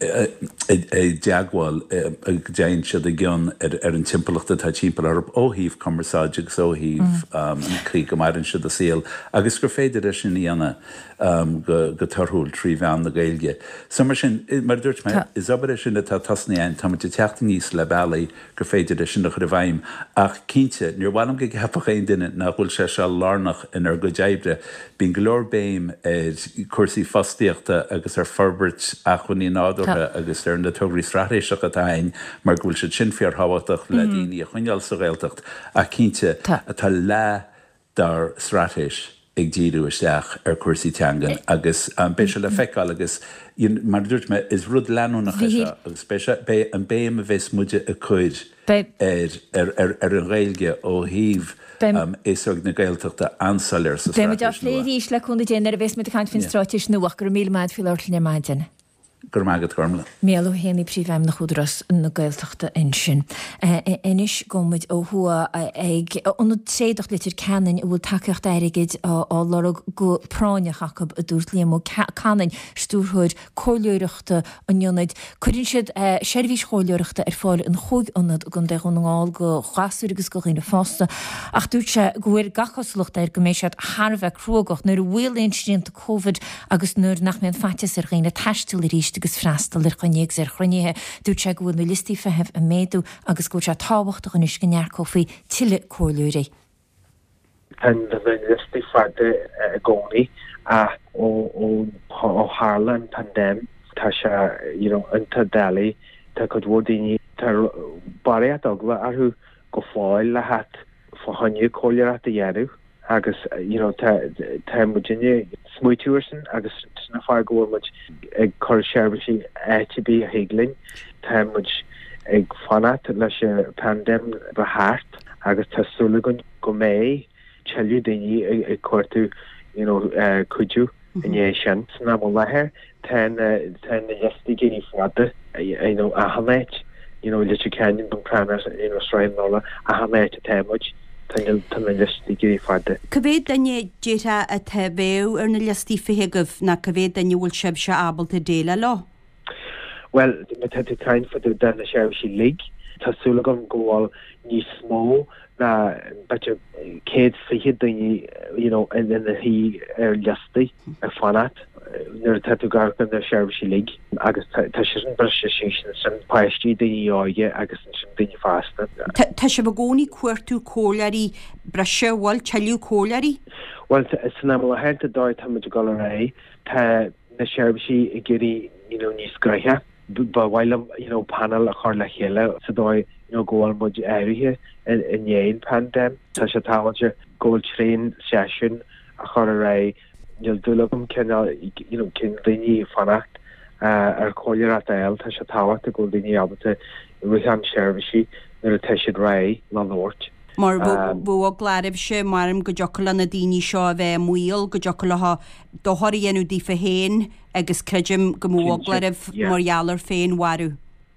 dteagmháil, go dtéann siad i gcion ar an timpeallacht atá timpeall orthu ó thaobh cumarsáide agus ó thaobh an chaoi go maireann siad a saol agus gur féidir é sin a dhéanamh go torthúil trí mheán na Gaeilge. So mar sin, mar a dúirt mé, is obair é sin atá tosnaithe againn, tá muid ag teacht aníos le bealaí gur féidir é sin a chur i bhfeidhm. Ach cinnte, níor mhaith liom go gceapfadh aon duine nach bhfuil sé seo lárnach inár gcuid oibre. Bíonn go leor béim ar chúrsaí fostaíochta agus ar forbairt acmhainní nádúrtha agus ar na tograí straitéiseacha atá againn mar go bhfuil siad sin fíorthábhachtach le daoine a choinneáil sa Ghaeltacht. Ach cinnte, tá leath dár straitéis ag díriú isteach ar chúrsaí teangan agus beidh sé le feiceáil agus mar a dúirt mé, is rud leanúnach é seo agus beidh sé, beidh an béim a bheas muide ag cur ar ar ar an Ghaeilge ó thaobh aos óg na Gaeltachta an-soiléir sa Beidh muid á straitéis phlé nua. arís le cúnamh Dé nuair a bheas muid ag caint faoin straitéis nua ach go raibh míle maith agat faoi labhairt linn ar maidin. Go raibh maith agat, Gormlaith. Mícheál Ó hÉanaí, Príomhfheidhmeannach Údarás na Gaeltachta ansin. Anois gabhfaidh muid ó thuaidh ag Ionad Tréadach Leitir Ceanainn a bhfuil tacaíocht airgid á lorg go práinneach acu, a dúirt Liam Ó Canainn, Stiúrthóir Comhairleoireachta an Ionaid. Cuireann siad seirbhís chomhairleoireachta ar fáil in chúig ionad i gContae Dhún na nGall do ghasúir agus do dhaoine fásta ach dúirt sé go bhfuil gach cosúlacht air go mbeidh siad thar a bheith cruógach nuair a mhaolaíonn srianta Covid agus nuair nach mbíonn faitíos ar dhaoine taisteal arís agus freastal ar choinní agus ar chruinnithe. Dúirt sé go bhfuil na liostaí feithimh ag méadú agus go bhfuil sé tábhachtach anois go n-earcófaí tuilleadh comhairleoirí. Tá na liostaí fada i gcónaí ach ó tharla an paindéim tá sé you know iontach doiligh. Tá cuid mhór daoine, tá barraíocht eagla orthu go fóill le theacht fá choinne comhairleoireacht a dhéanamh agus you know tá tá muidinne ag smaoitiú ar sin agus sin an fáth go bhfuil muid ag cur seirbhísí áit ar bith a thig linn. Tá muid ag fanacht leis an paindéim bheith thart agus tá súil againn go mbeidh tuilleadh daoine ag cuartú you know cuidiú i ndiaidh sin. San am i láthair tá na tá na liostaí ag éirí fada you know achan áit you know Leitir Ceanainn, Bun Cranncha, you know Srath na Nollag, achan áit atá muid tá na tá na liostaí ag éirí fada. Cá mhéad duine déarfá atá bheadh ar na liostaí feithimh agaibh nó cá mhéad duine a bhfuil sibhse ábalta déileáil leo? Bhuel, má tá tú ag caint fá dtaobh de na seirbhísí uilig, tá súil agam go bhfuil níos mó ná b'fhéidir 120 duine you know ina shuí ar liostaí ag fanacht nuair atá tú ag amharc ar na seirbhísí uilig agus tá sé sin briste síos ansin, páistí, daoine óga agus ansin daoine fásta. Tá sibh i gcónaí ag cuartú comhairleoirí breise, an bhfuil tuilleadh comhairleoirí? Bhuel, san am i láthair tá dóigh tá muid ag dul ar aghaidh, tá na seirbhísí ag éirí you know níos gnoiche. Ba mhaith liom you know panel a chur le chéile sa dóigh you know go bhfuil muid áirithe i ndiaidh an paindéim. Tá sé tábhachtach go bhfuil tréan seisiún a chur ar aghaidh. Níl dúil agam cineál you know cinn daoine fanacht ar chomhairleoireacht a fháil. Tá sé tábhachtach go bhfuil daoine ábalta rith chun seirbhísí nuair atá siad réidh le labhairt. Mar bheadh eagla oraibhse, maram go dtiocfadh le na daoine seo a bheith i mbaol, go dtiocfadh leo dochar a dhéanamh daofa féin agus creidim go mbeadh eagla oraibh mar gheall ar féinmharú.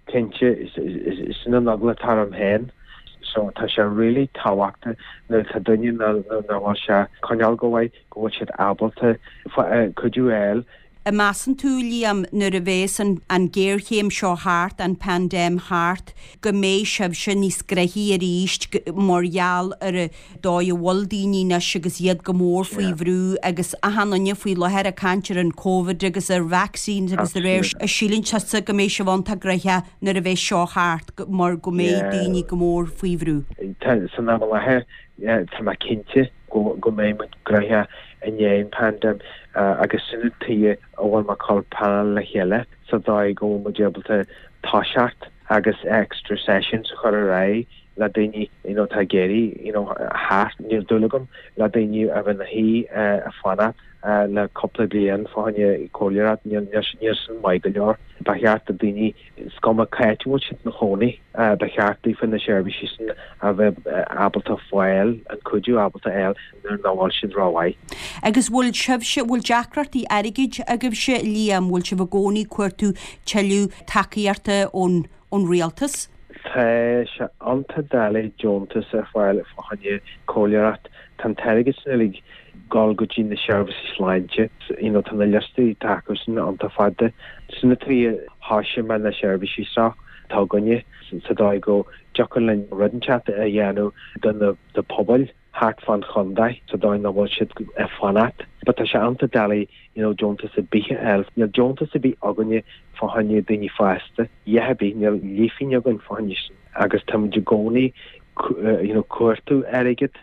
Cinnte, sin an eagla atá orm féin. So tá sé really tábhachtach nuair atá duine nach bhfuil sé ag coinneáil go mhaith, go bhfuil siad ábalta cuidiú a fháil. An measann tú, Liam, nuair a bhéas an an géarchéim seo thart, an paindéim thart, go mbeidh sibhse níos gnoithí arís mar gheall ar an dóigh a bhfuil daoine anois agus iad go mór faoi bhrú agus achan duine faoi láthair ag caint ar an Covid agus ar vaccines agus de réir sin, síleann tusa go mbeidh sibh iontach gnoitheach nuair a bheas seo thart mar go mbeidh daoine go mór faoi bhrú? Tá, san am i láthair, tá mé cinnte go mbeidh muid gnoitheach i ndiaidh an paindéim agus sin an tuige a bhfuil mé ag cur panel le chéile sa dóigh go bhfuil muid ábalta toiseacht agus extra sessions a chur ar aghaidh. le daoine you know atá ag iarraidh you know theacht, níl dúil agam le daoine a bheith ina shuí ag fanacht le cúpla bliain fá choinne comhairleoireacht, níl níl sin maith go leor. Ba cheart do daoine, is cuma cá háit a bhfuil siad ina chónaí, ba cheart daofa na seirbhísí sin a bheith ábalta fáil, an cuidiú ábalta fháil nuair nach bhfuil siad rómhaith. Agus bhfuil sibhse, bhfuil deacrachtaí airgid agaibhse, Liam, bhfuil sibh i gcónaí ag cuartú tuilleadh tacaíochta ón ón rialtas? Tá sé iontach doiligh deontas a fháil fá choinne comhairleoireacht. Tá an t-airgead sin uilig dul go dtí na seirbhísí sláinte. You know tá na liostaí atá acu sin iontach fada. Sin an tslí a thoisigh mé na seirbhísí seo atá againne sa dóigh go dtiocfadh linn rud inteacht a dhéanamh do na pobail thart fán chontae sa dóigh nach bhfuil siad ag fanacht. But tá sé iontach doiligh you know deontas ar bith a fháil. Níl deontas ar bith againne fá choinne daoine fásta, a dhath ar bith, níl leathphingin againn fá choinne sin agus táimid i gcónaí you know cuartú airgead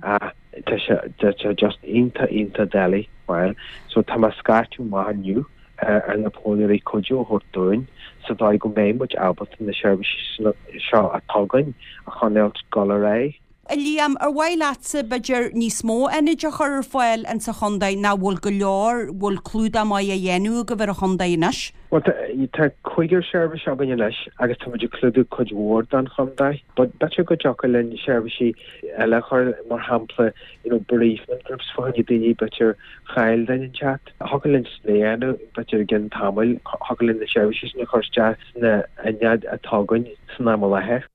ach tá sé tá sé just iontach iontach doiligh fáil. So tá mé ag scairteadh amach inniu ar na comhairleoirí cuidiú a thabhairt dúinn sa dóigh go mbeidh muid ábalta na seirbhísí seo atá againn a choinneáilt ag dul ar aghaidh. A Liam, ar mhaith leatsa, b'fhéidir, níos mó ionaid a chur ar fáil insa chontae nó bhfuil go leor, bhfuil clúdach maith á dhéanamh agaibh ar an chontae anois? Bhuel, tá cúigear seirbhís againn anois agus tá muid ag clúdú cuid mhór den chontae. But b'fhéidir go dtiocfadh linn seirbhísí eile a chur, mar shampla, you know, bereavement groups fá choinne daoine, b'fhéidir, chaill duine inteacht. Thiocfadh linn sin a dhéanamh, b'fhéidir i gcionn tamaill, thiocfadh linn na seirbhísí sin a chur isteach sna hionaid atá againn san am i láthair.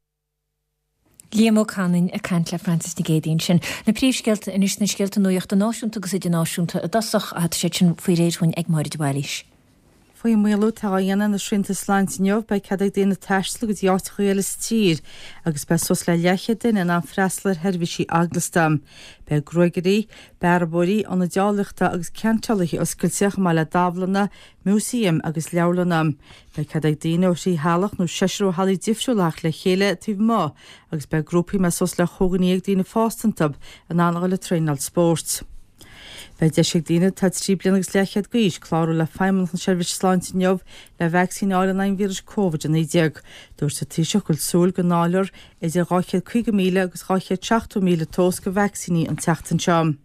Liam Ó Canainn ag caint le Frances Nic Géadaigh ansin. Na príomhscéalta anois, na scéalta nuachta náisiúnta agus idirnáisiúnta i dtosach, tá siad sin faoi réir dhúinn ag Máire de Bhailís. Faoin maolú atá á dhéanamh ar na srianta sláinte inniu, beidh cead ag daoine taisteal go dtí áiteacha eile sa tír agus beidh suas le leathchéad duine in ann freastal ar sheirbhísí eaglasta. Beidh gruagairí, bearbóirí, ionaid áilleachta agus ceantálaithe oscailte chomh maith le dámhlanna, músaeim agus leabharlanna. Beidh cead ag daoine ó thrí theaghlach nó seisear ó theaghlaigh difriúla theacht le chéile taobh amuigh agus beidh grúpaí a mbeidh suas le chúig dhuine dhéag daoine fásta iontu in ann a dhul ag traenáil spóirt. Beidh deis ag daoine atá 3 bliana agus leathchéad d'aois clárú le Feidhmeannacht na Seirbhíse Sláinte inniu le vacsaín a fháil in aghaidh an víris Covid-19. Dúirt an Taoiseach go bhfuil súil go ndáilfear idir 250,000 agus 270,000 dós de vacsaíní an tseachtain seo.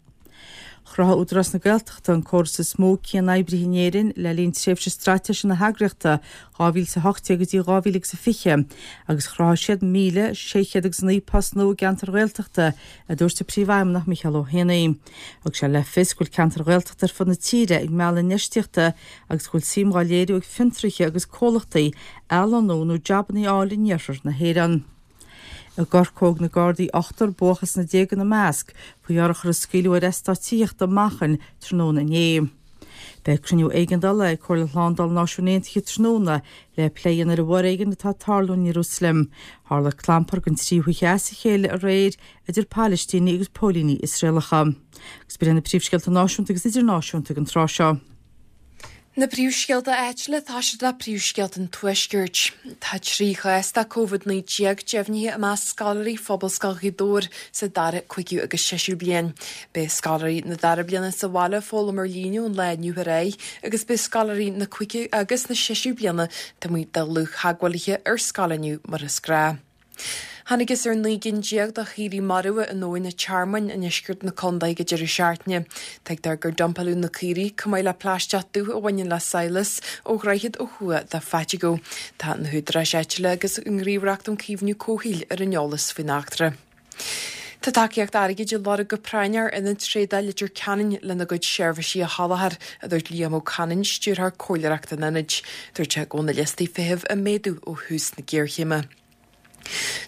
Chruthaigh Údarás na Gaeltachta an córas is mó cian-oibrithe in Éirinn le linn tréimhse straitéise na heagraíochta 2018 go dtí 2020 agus chruthaigh siad 1,609 post nua i gceantair Ghaeltachta, a dúirt a Príomhfheidhmeannach Micheál Ó hÉanaí. Thug sé le fios go bhfuil ceantair Ghaeltachta ar fud na tíre ag mealladh infheistíochta agus go bhfuil suim dhá léiriú ag fiontraithe agus comhlachtaí athlonnú nó jabanna a fháil in iarthar na hÉireann. I gCorcóg na Gardaí ochtar, buachaill sna déaga ina measc, faoi urchar a scaoileadh ar eastát tithíochta i Manchain tráthnóna inné. Beidh cruinniú éigeandála ag Comhairle Shlándála na Náisiún Aontaithe tráthnóna le plé a dhéanamh ar an bhforéigean atá ag tarlú in Iarúsailéim. Tharla clampar don tríú hoíche as a chéile aréir idir Palaistínigh agus póilíní Iosraelacha. Agus b'in iad na príomhscéalta náisiúnta agus idirnáisiúnta ag an tráth seo. Na príomhscéalta áitiúla tá siad le príomhscéalta an Tuaiscirt. Tá 3 chás de Covid-19 deimhnithe i measc scoláirí Phobalscoil Ghaoth Dobhair sa dara, cúigiú agus séisiú bliain. Beidh scoláirí na dara bliana sa bhaile ag foghlaim ar líne ón lá inniu ar aghaidh agus beidh scoláirí na cúigiú agus na séisiú bliana taobh amuigh de dhlúth-theagmhálaithe ar scoil inniu mar is gnáth. Thángthas ar 19 gcinn de chaoirigh marbha in Abhainn an Tearmainn i ndeisceart na contae ag an deireadh seachtaine. Tuigtear gur dumpáladh na caoirigh, chomh maith le plaisteach dubh a bhaineann le sadhlas, ó dhroichead ó thuaidh de Phaiteagó. Tá na húdaráis áitiúla agus an Ghníomhaireacht um Caomhnú Comhshaoil ar an eolas faoin eachtra. Tá tacaíocht airgid á lorg go práinneach ar Ionad Trádála Leitir Ceanainn lena gcuid seirbhísí a sholáthar, a dúirt Liam Ó Canainn, Stiúrthóir Comhairleoireachta an Ionaid. Dúirt sé go bhfuil na liostaí feithimh ag méadú ó thús na géarchéime.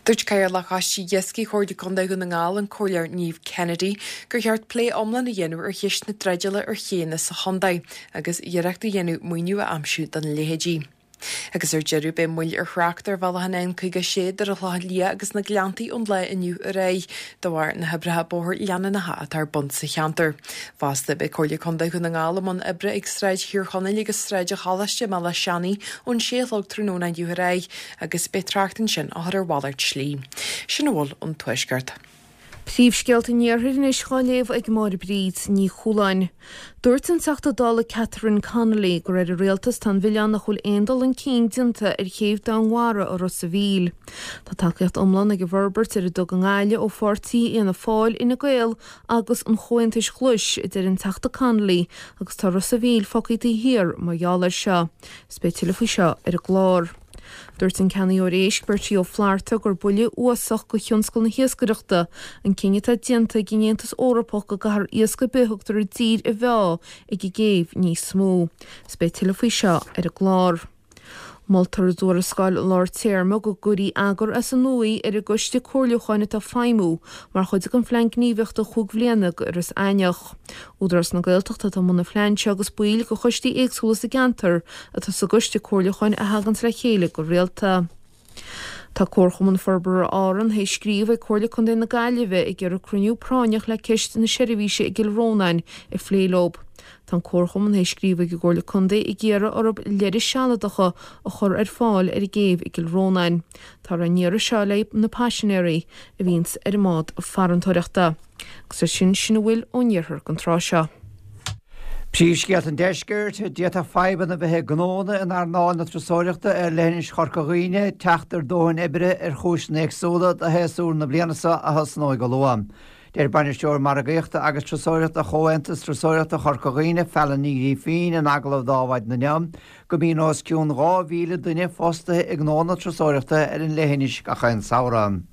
Dúirt Cathaoirleach Choiste Iascaigh Chomhairle Contae Dhún na nGall, an Comhairleoir Niamh Kennedy, gur cheart plé iomlán a dhéanamh ar cheist na dreideála ar chéanna sa chontae agus iarracht a dhéanamh maoiniú a aimsiú dona leithéidí. Agus ar deireadh, beidh moill ar thrácht ar bhealach an N56 idir an Chlochán Liath agus na Gleanntaí ón lá inniu ar aghaidh, de bharr na hoibreacha bóthair leanúnacha atá ar bun sa cheantar. Fosta, beidh Comhairle Contae Dhún na nGall i mbun oibre ag Sráid Thír Chonaill agus Sráid an Choláiste i mBealach Seanaidh ón sé a chlog tráthnóna inniu ar aghaidh agus beidh trácht ansin á chur ar mhalairt slí. Sin a bhfuil ón Tuaisceart. Príomhscéalta an Iarthair anois dhá léamh ag Máire Bríd Ní Chualáin. Dúirt an Teachta Dála Catherine Connolly gur ar an Rialtas atá an mhilleán nach bhfuil aon dul chun cinn déanta ar chéibh Domhainmhara i Ros a' Mhíl. Tá tacaíocht iomlán ag an bhforbairt ar a dtug i nGaillimh ó pháirtí Fhianna Fáil, Fhine Gael agus an Chomhaontais Ghlais, a deir an Teachta Connolly, agus tá Ros a' Mhíl fágtha taobh thiar mar gheall air seo. Is beidh tuilleadh faoi seo ar an gclár. Dúirt an Ceannaitheoir Éisc, Bertie Ó Flatharta, gur buille uafásach do thionscal na hiascaireachta an cinneadh atá déanta ag an Aontas Eorpach go gcaithfear iasc ar bith a thugtar i dtír a mheá ag an gcéibh níos mó. Is beidh tuilleadh faoi seo ar an gclár. Moltar i dtuarascáil lár téarma go gcuirfí eagar as an nua ar an gcoiste comhairliúcháin atá ag feidhmiú mar chuid den Phlean Gníomhaíochta chúig bhliana do Iorras Aithneach. Údarás na Gaeltachta atá i mbun an phlean seo agus baill de choistí éagsúla sa gceantar atá sa gcoiste comhairliúcháin a thaganns le chéile go rialta. Tá Comharchumann Forbartha Árann théis scríobh ag Comhairle Contae na Gaillimhe ag iarraidh cruinniú práinneach le ceist na seirbhíse i gCill Rónáin a phlé leo. Tá an Comharchumann théis scríobh ag an gComhairle Contae ag iarraidh orthu leithris sealadacha a chur ar fáil ar an gcéibh i gCill Rónáin. Táthar á n-iarraidh seo le haghaidh na paisinéirí a bhíonns ar an mbád farantóireachta. Agus leis sin, sin a bhfuil ón iarthar don tráth seo. Príomhscéalta an Deiscirt, D'fhéadfadh fadhbanna a bheith ag gnónna in earnáil na turasóireachta ar leithinis Chorca Dhuibhne teacht ar dóthain oibrithe ar chúiseanna éagsúla do shéasúr na bliana seo a thosnóidh go luath. Deir Bainisteoir Margaíochta agus Turasóireachta Chomhaontas Turasóireachta Chorca Dhuibhne, Fallon Ní Ghrífín, in agallamh d'Adhmhaidin inniu, go mbíonn os cionn 2,000 duine fostaithe i ngnónna turasóireachta ar an leithinis gach aon samhradh.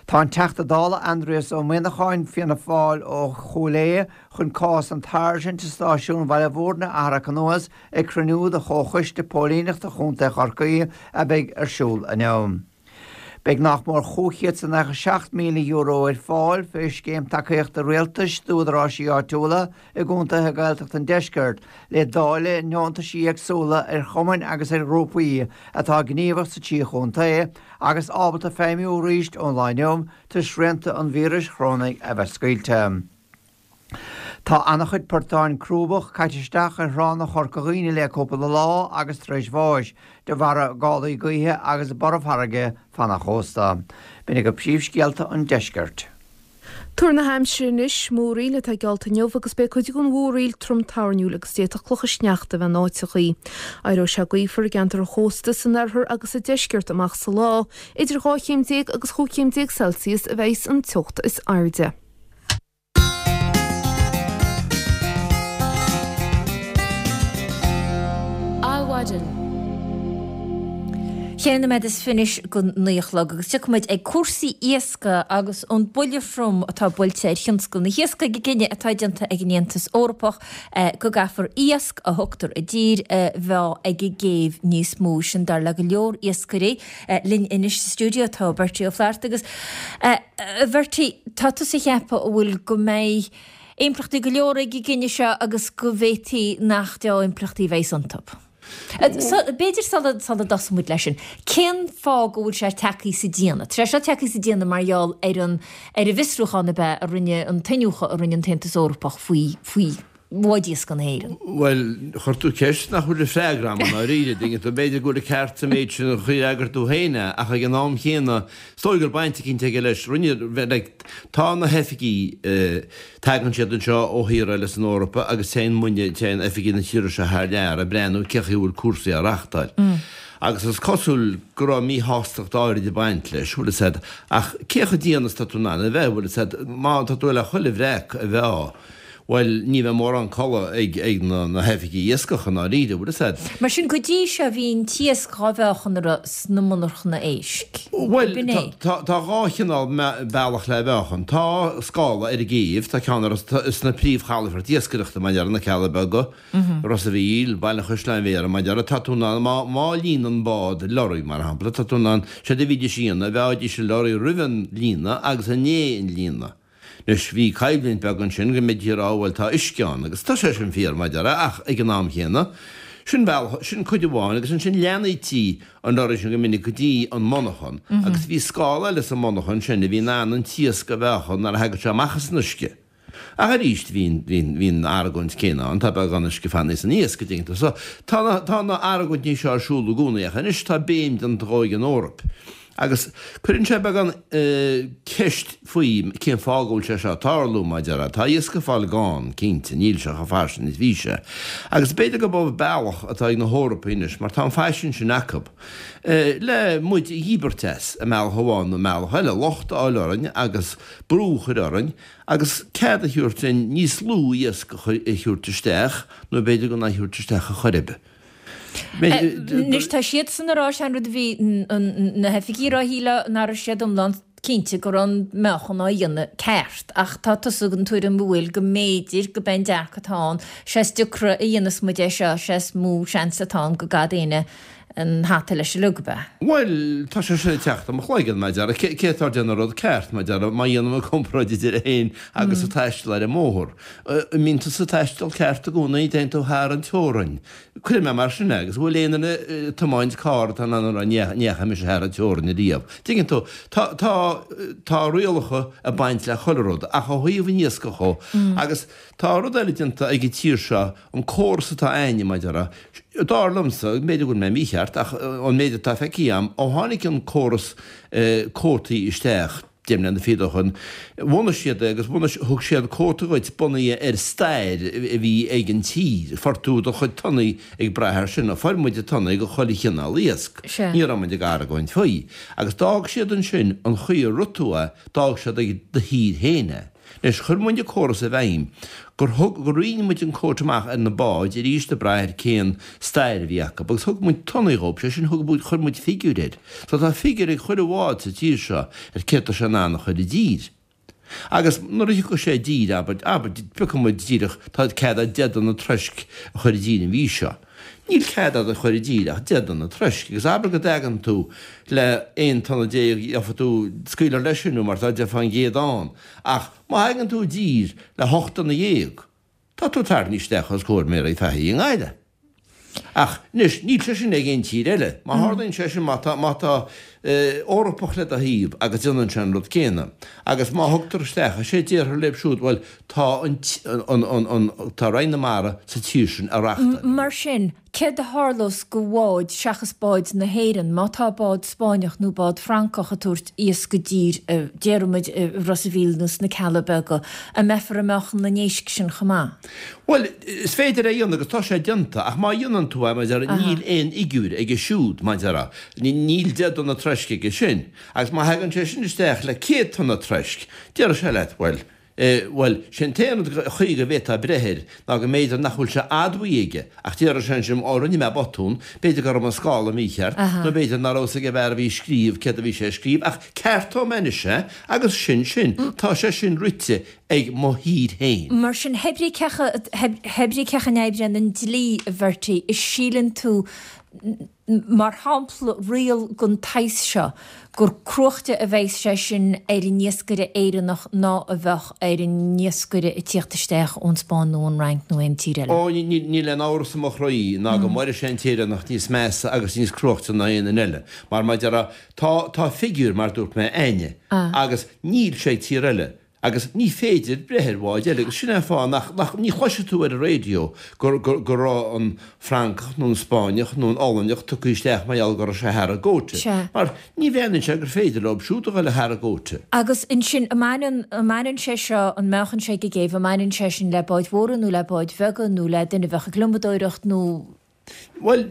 Tá an Teachta Dála Aindrias Ó Muimhneacháin, Fianna Fáil ó Chúil Aodha, chun cás an tSáirsint i Stáisiún Bhaile Bhúirne a tharrac anuas ag cruinniú de Chomhchoiste Póilíneachta Chontae Chorcaí a bheidh ar siúl inniu. Beidh nach mór €597,000 ar fáil fé Scéim Tacaíochta Rialtais d'Údaráisí Áitiúla i gcontaetha Gaeltachta an Deiscirt le dáileadh i ndeontaisí éagsúla ar chumainn agus ar ghrúpaí atá gníomhach sa trí chontae agus ábalta feidhmiú arís ón lá inniu toisc srianta an víris chorónaigh a bheith scaoilte. Tá ana-chuid portáin crúbach caite isteach ar thránna Chorca Dhuibhne le cúpla lá agus tar éis bháis de bharra gálaí gaoithe agus borrfairrge fan an chósta. B'in agaibh príomhscéalta an deiscirt. Tuar na haimsire anois, Múraíl atá geallta inniu agus beidh cuid den mhúraíl trom toirniúil agus d'fhéadfadh clocha sneachta a bheith in áiteachaí. Éireoidh sé gaofar i gceantar an chósta san oirthear agus sa deisceart amach sa lá. Idir 12 chéim agus 15 chéim Celsius a bheidhs an teocht is airde. Adhmhaidin. Cheithre nóiméad is fiche go naoi a chlog agus tiocfaidh muid ag cúrsaí iascaigh agus an buille throm atá buailte ar thionscal na hiascaigh ag an gcinneadh atá déanta ag an Aontas Eorpach go gcaithfear iasc a thugtar i dtír a mheá ag an gcéibh níos mó. Sin dar le go leor iascairí. Linn anois sa stiúideo tá Bertie Ó Flatharta agus a Bhertie, tá tusa ag ceapadh an bhfuil go mbeidh impleachtaí go leor ag an gcinneadh seo agus go bhféadfaí nach dea-impleachtaí a bheidh iontu. B'fhéidir sula dtosóidh muid leis sin, cén fáth go bhfuil sé tagtha sa déanach? Tá sé seo tagtha sa déanach mar gheall ar an ar an bhfiosrúchán ab ea a rinne an t-iniúchadh a rinne an tAontas Eorpach faoi faoi bháid iascaigh na hÉireann. Bhuel, chuir tú ceist nach bhfuil a freagra agam i ndáiríre, an dtuigeann tú. B'fhéidir go bhfuil an ceart sa méid sin a d'fhreagair tú féin é, ach ag an am chéanna, is dóigh gur baint eicínt aige leis. Rinne, like, tá na hoifigí, Tagann siad anseo ó thíortha eile san Eoraip agus téann muidne, téann oifigigh na tíre seo thar lear ag breathnú cén chaoi a bhfuil cúrsaí á reachtáil. Agus is cosúil go raibh míshástacht áirid ag baint leis, bhfuil fhios a'd. Ach cé chomh dian is atá tú in ann a bheith, bhfuil fhios a'd, má tá tú le chuile bhreac a mheá, bhuel, ní bheidh mórán codladh ag ag na na hoifigigh iascach i ndáiríre, bhfuil fhios a'd. Mar sin, go dtí seo bhí an t-iasc dhá mheáchan orthu sna monarchana éisc. Bhuel, tá dhá chineál bealach le mheáchan. Tá scála ar an gcéibh, tá ceann ar sna príomhchalafoirt iascaireachta, mar a déarfá, na Cealla Beaga, Ros a' Mhíl, Baile an Chaisleáin Bhéarra, mar a déarfá, tá tú in ann, má, má líonann bád lorry, mar shampla, tá tú in ann, séard a bhídís a dhéanamh, mheáidís an lorry roimh an líonadh agus i ndiaidh an líonadh. Anois, bhí coimhlint beag ansin go mbeidís ag rá, bhuel, tá uisce ann, agus tá sé sin fíor, mar a déarfá, ach ag an am chéanna, sin bealach, sin cuid amháin, agus ansin leathnaítí an lorry sin go minic go dtí an monarchan, agus bhí scála eile sa monarchan sin a bhí in ann an t-iasc a mheáchan nuair a thagadh sé amach as an uisce. Ach arís, bhí an, bhí an, bhí an argóint céanna ann, tá beagán uisce fanaithe san iasc, an dtuigeann tú. So, tá na, tá na argóintí seo ar siúl i gcónaí, ach anois tá béim déanta dhó ag an Eoraip. Agus cuireann sé beagán ceist faoi cén fáth go bhfuil sé seo ag tarlú, mar a déarfá. Tá iasc ag fáil gann, cinnte, níl sé chomh fairsing is bhí sé. Agus b'fhéidir gurb é bealach atá ag na hEorpaigh anois, mar tá an faisean sin acu, le muid a dhíbirt as, i mbealach amháin nó i mbealach eile, locht a fháil orainn agus brú a chur orainn agus cead a thabhairt dúinn níos lú iasc a thabhairt isteach nó b'fhéidir gan é a thabhairt isteach ar chor ar bith. Anois tá siadsan ag rá, sé an rud a bhí na hoifigigh ag rá shílfeá nach raibh siad iomlán cinnte go raibh an meáchan á dhéanamh ceart ach tá tusa den tuairim go bhfuil go mb'fhéidir go b'é an dearcadh atá ann sé is deacra a dhéanas muid é seo sé is mó seans atá ann go gcaithfidh éinne an hata leis uilig, ab ea? Bhuel, tá sé sin ag teacht i mo chloigeann, mar a déarfá. Cé atá ag déanamh an rud ceart, mar a déarfá, má dhéanaim an comparáid idir é féin agus ag taisteal ar an mbóthar. An mbíonn tusa ag taisteal ceart i gcónaí, téann tú thar an teorainn. Cuirfidh mé mar sin é, agus an bhfuil aon duine ag tiomáint carr atá in ann a rá ní dheachaigh mise thar an teorainn ariamh. Tuigeann tú, tá, tá, tá rialacha ag baint le chuile rud, ach ó thaobh an iascaigh dhó, agus tá rud eile déanta ag an tír seo, an córas atá a'inne, mar a déarfá, dar liomsa, b'fhéidir go bhfuil mé mícheart, ach an méid atá feicthe a'm, ó tháinig an córas cuótaí isteach, 10 mbliana fichead ó shoin, bhunaigh siad é agus bhunaigh, thug siad cuóta dhuit bunaithe ar stair a bhí ag an tír. Fuair tú do chuid tonnaí ag brath air sin. Fuair muid tonnaí do chuile chineál iasc. Ní raibh muid ag argóint faoi. Agus d'fhág siad ansin an chaoi a rith tú é, d'fhág siad ag do thír féin é. Anois, chuir muid an córas i bhfeidhm gur thug, gur roinn muid an cuóta amach ar na báid arís ag brath ar cén stair a bhí acu agus thug muid tonnaí dhóibh, sé sin thug muid, chuir muid figiúir air. So tá figiúr ag chuile bhád sa tír seo ar céard tá sé in ann a chur i dtír. Agus nuair a thiocfadh sé i dtír, abair, abair, piocfaidh muid díreach, tá cead a'd 10 dtonna troisc a chur i dtír an mhí seo. Níl cead a'd a chur i dtír ach 10 dtonna troisc, agus abair go dtagann tú le 11 tonna, gheobhaidh tú scaoileadh leis sin mar tá 10% ann, ach má thagann tú i dtír le 18 tonna, tá tú tarraingthe isteach os comhair méaraí Fahey i nGaillimh. Ach anois, níl sé sin ag aon tír eile. Má tharlaíonn sé sin, má tá, má tá Eorpach le do thaobh agus déanann sé an rud céanna, agus má thugtar isteach, is é déarfar leo siúd, bhuel, Tá an, an, an, tá Roinn na Mara sa tír sin ag reachtáil. Mar sin, céard a tharlós go bháid seachas báid na hÉireann má tá bád Spáinneach nó bád Francach ag tabhairt iasc i dtír, déarfaimid i Ros a' Mhíl nó sna Cealla Beaga, an mbeifear ag meáchan na n-éisc sin chomh maith? Bhuel, is féidir é a dhéanamh agus tá sé déanta, ach má dhéanann tú é, mar a déarfá, níl aon fhigiúr aige siúd, mar a déarfá, níl 10 dtonna troisc aige sin, agus má thagann sé sin isteach le 100 tonna troisc, déarfaidh sé leat, bhuel, Bhuel, sé an t-aon chaoi go bhféadfá breith air ná go mb'fhéidir nach bhfuil sé admhaithe aige, ach déarfaidh sé ansin, Ó, rinne mé botún, b'fhéidir go raibh an scála mícheart, nó b'fhéidir nach raibh fhios ag an bhfear a bhí ag scríobh céard a bhí sé ag scríobh, ach ceartóidh mé anois é, agus sin sin. Tá sé sin rite ag mo thír féin. Mar sin, hé brí cé chaoi a n-oibríonn an dlí, a Bhertie, is síleann tú mar shampla, riail den tsaghas seo, gur cruaichte a bheas sé sin ar an iascaire Éireannach ná a bheadh ar an iascaire ag tíocht isteach ón Spáinn nó ón Fhrainc nó aon tír eile. Ó, níl aon amhras i mo chroí ná go mairfidh sé an tÉireannach níos measa agus níos cruaichte ná aon duine eile. Mar, mar a déarfá, tá, tá figiúr, mar dúirt mé, a'inne, agus níl sé ag tír eile. Agus ní féidir breith ar bháid eile, agus sin é an fáth nach, nach, ní chloisfidh tú ar an raidió gur, gur, go raibh an Francach nó an Spáinneach nó an Ollainneach tugtha isteach mar gheall go raibh sé thar an gcuóta. Sea. Mar ní bhreathnaíonn sé gur féidir leo siúd a dhul thar an gcuóta. Agus ansin, an mbaineann, an mbaineann sé seo, an meáchan sé ag an gcéibh, an mbaineann sé sin le báid mhóra nó le báid bheaga nó le duine a bheadh ag lomadóireacht nó. Bhuel,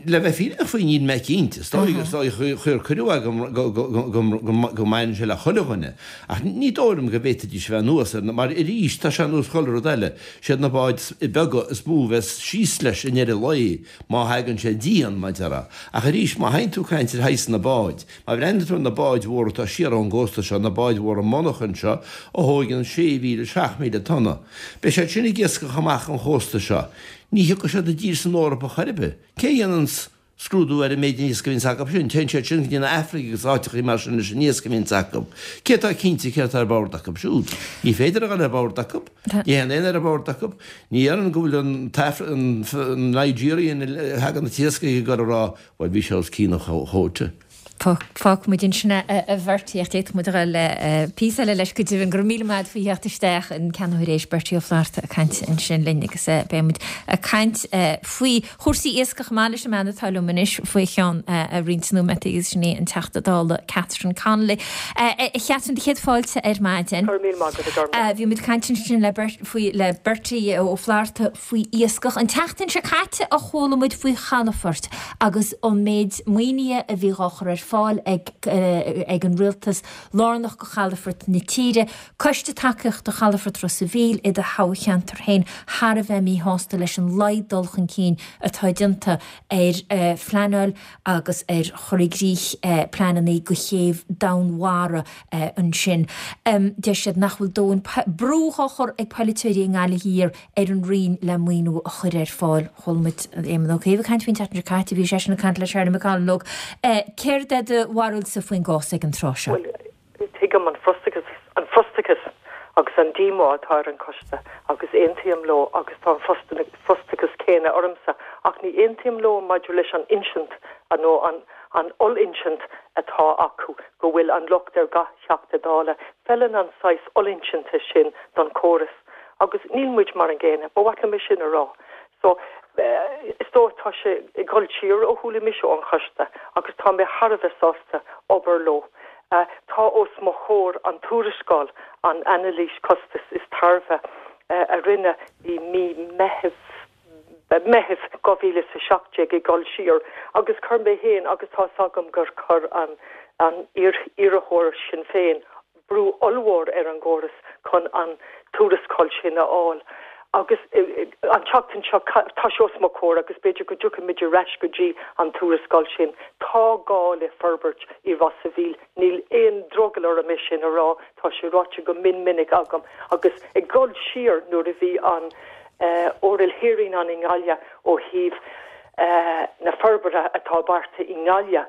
le bheith fírinneach faoi, níl mé cinnte. Is dóigh, is dóigh, chuir cuireadh agam go mbaineann sé le chuile dhuine. Ach ní dóigh liom go bhféadfaidís a bheith anuas air, mar arís, tá sé ar nós chuile rud eile, siad na báid beaga is mó a bheas síos leis i ndeireadh lae, má thagann sé dian, mar a déarfá. Ach arís, má théann tú ag caint ar shaghas na báid, má bhreathnaíonn tú ar na báid mhóra atá siar ón gcósta seo, na báid mhóra monarchan seo, a thóigeann 6,000, 7,000 tonna, beidh siad sin ag iascach amach an chósta seo. Ní thiocfaidh siad i dtír san Eoraip ar chor ar bith. Cé a dhéananns scrúdú ar an méid iasc a bhíonns acu sin? Téann siad sin go dtí an Afraic agus áiteachaí mar sin leis an iasc a bhíonns acu. Cé atá cinnte céard atá ar bord acu siúd? Ní féidir a dhul ar bord acu. Ní théann aon fhear ar bord acu. Ní déarfainn go bhfuil an t-Afra, an Nigerian a thagann an t-iasc ag dul a rá, bhuel bhí sé os cionn an chuóta. Fágfaidh muid ansin é a Bhertie ach d'fhéadfadh muid a dhul le píosa eile leis go deimhin. Go raibh míle maith agat faoi theacht isteach, an Ceannaitheoir Éisc Bertie Ó Flatharta ag caint ansin linn agus beidh muid ag caint faoi chúrsaí iascaigh chomh maith leis an mbean atá liom anois faoi cheann roinnt nóiméadaí agus sin í an Teachta Dála Catherine Connolly. A Chatherine, do chéad fáilte ar maidin. Go raibh míle maith agat a Ghormfhlaith. Bhí muid ag caint ansin le faoi le Bertie Ó Flatharta faoi iascach. An tseachtain seo caite a chuala muid faoi chalafoirt agus an méid maoinithe a bhí dhá chur ar fáil ag ag an rialtas lárnach go chalafoirt na tíre. Coiste Tacaíochta Chalafort Ros a' Mhíl i do thoghcheantar féin thar a bheith míshásta leis an laghad dul chun cinn atá déanta ar phleanáil agus ar chur i gcrích pleananna go chéibh Domhainmhara ansin. Deir siad nach bhfuil dóthain brú dhá chur ag polaiteoirí i nGaillimh Thiar ar an Roinn le maoiniú a chur ar fáil. Chuala muid Éamon Ó Cuív ag caint faoin tseachtain seo caite, bhí seisean ag caint le Charlie McConalogue. Céard é do bharúilsa faoin gcás ag an tráth seo? Bhuel, tuigim an frustrachas, an frustrachas agus an díomá atá ar an choiste agus aontaím leo agus tá an frustrachas céanna ormsa ach ní aontaím leo maidir leis an insint nó an an oll-insint atá acu go bhfuil an locht ar gach Teachta Dála. Feileann an saghas ollinsinte sin don chóras agus níl muid mar an gcéanna. Ba mhaith liom é sin a rá. So, is dóigh tá sé ag dul siar ó chuala mise ón choiste agus tá mé thar a bheith sásta obair leo. Tá os mo chomhair an tuarascáil, an anailís costais is tairbhe a rinneadh i mí Meitheamh, Meitheamh 2017 ag dul siar agus chuir mé féin agus tá 'fhios agam gur chuir an an iarrthóir Sinn Féin brú ollmhór ar an gcóras chun an tuarascáil sin a fháil agus an tseachtain seo tá sé os mo chomhair agus b'fhéidir go dtiocfaimid ar ais go dtí an tuarascáil sin. Tá gá le forbairt i Ros a' Mhíl, níl aon drogall orm é sin a rá, tá sé ráite go mion minic agam agus ag dul siar nuair a bhí an Oral Hearing ann i nGaillimh ó thaobh na forbartha atá beartaithe i nGaillimh.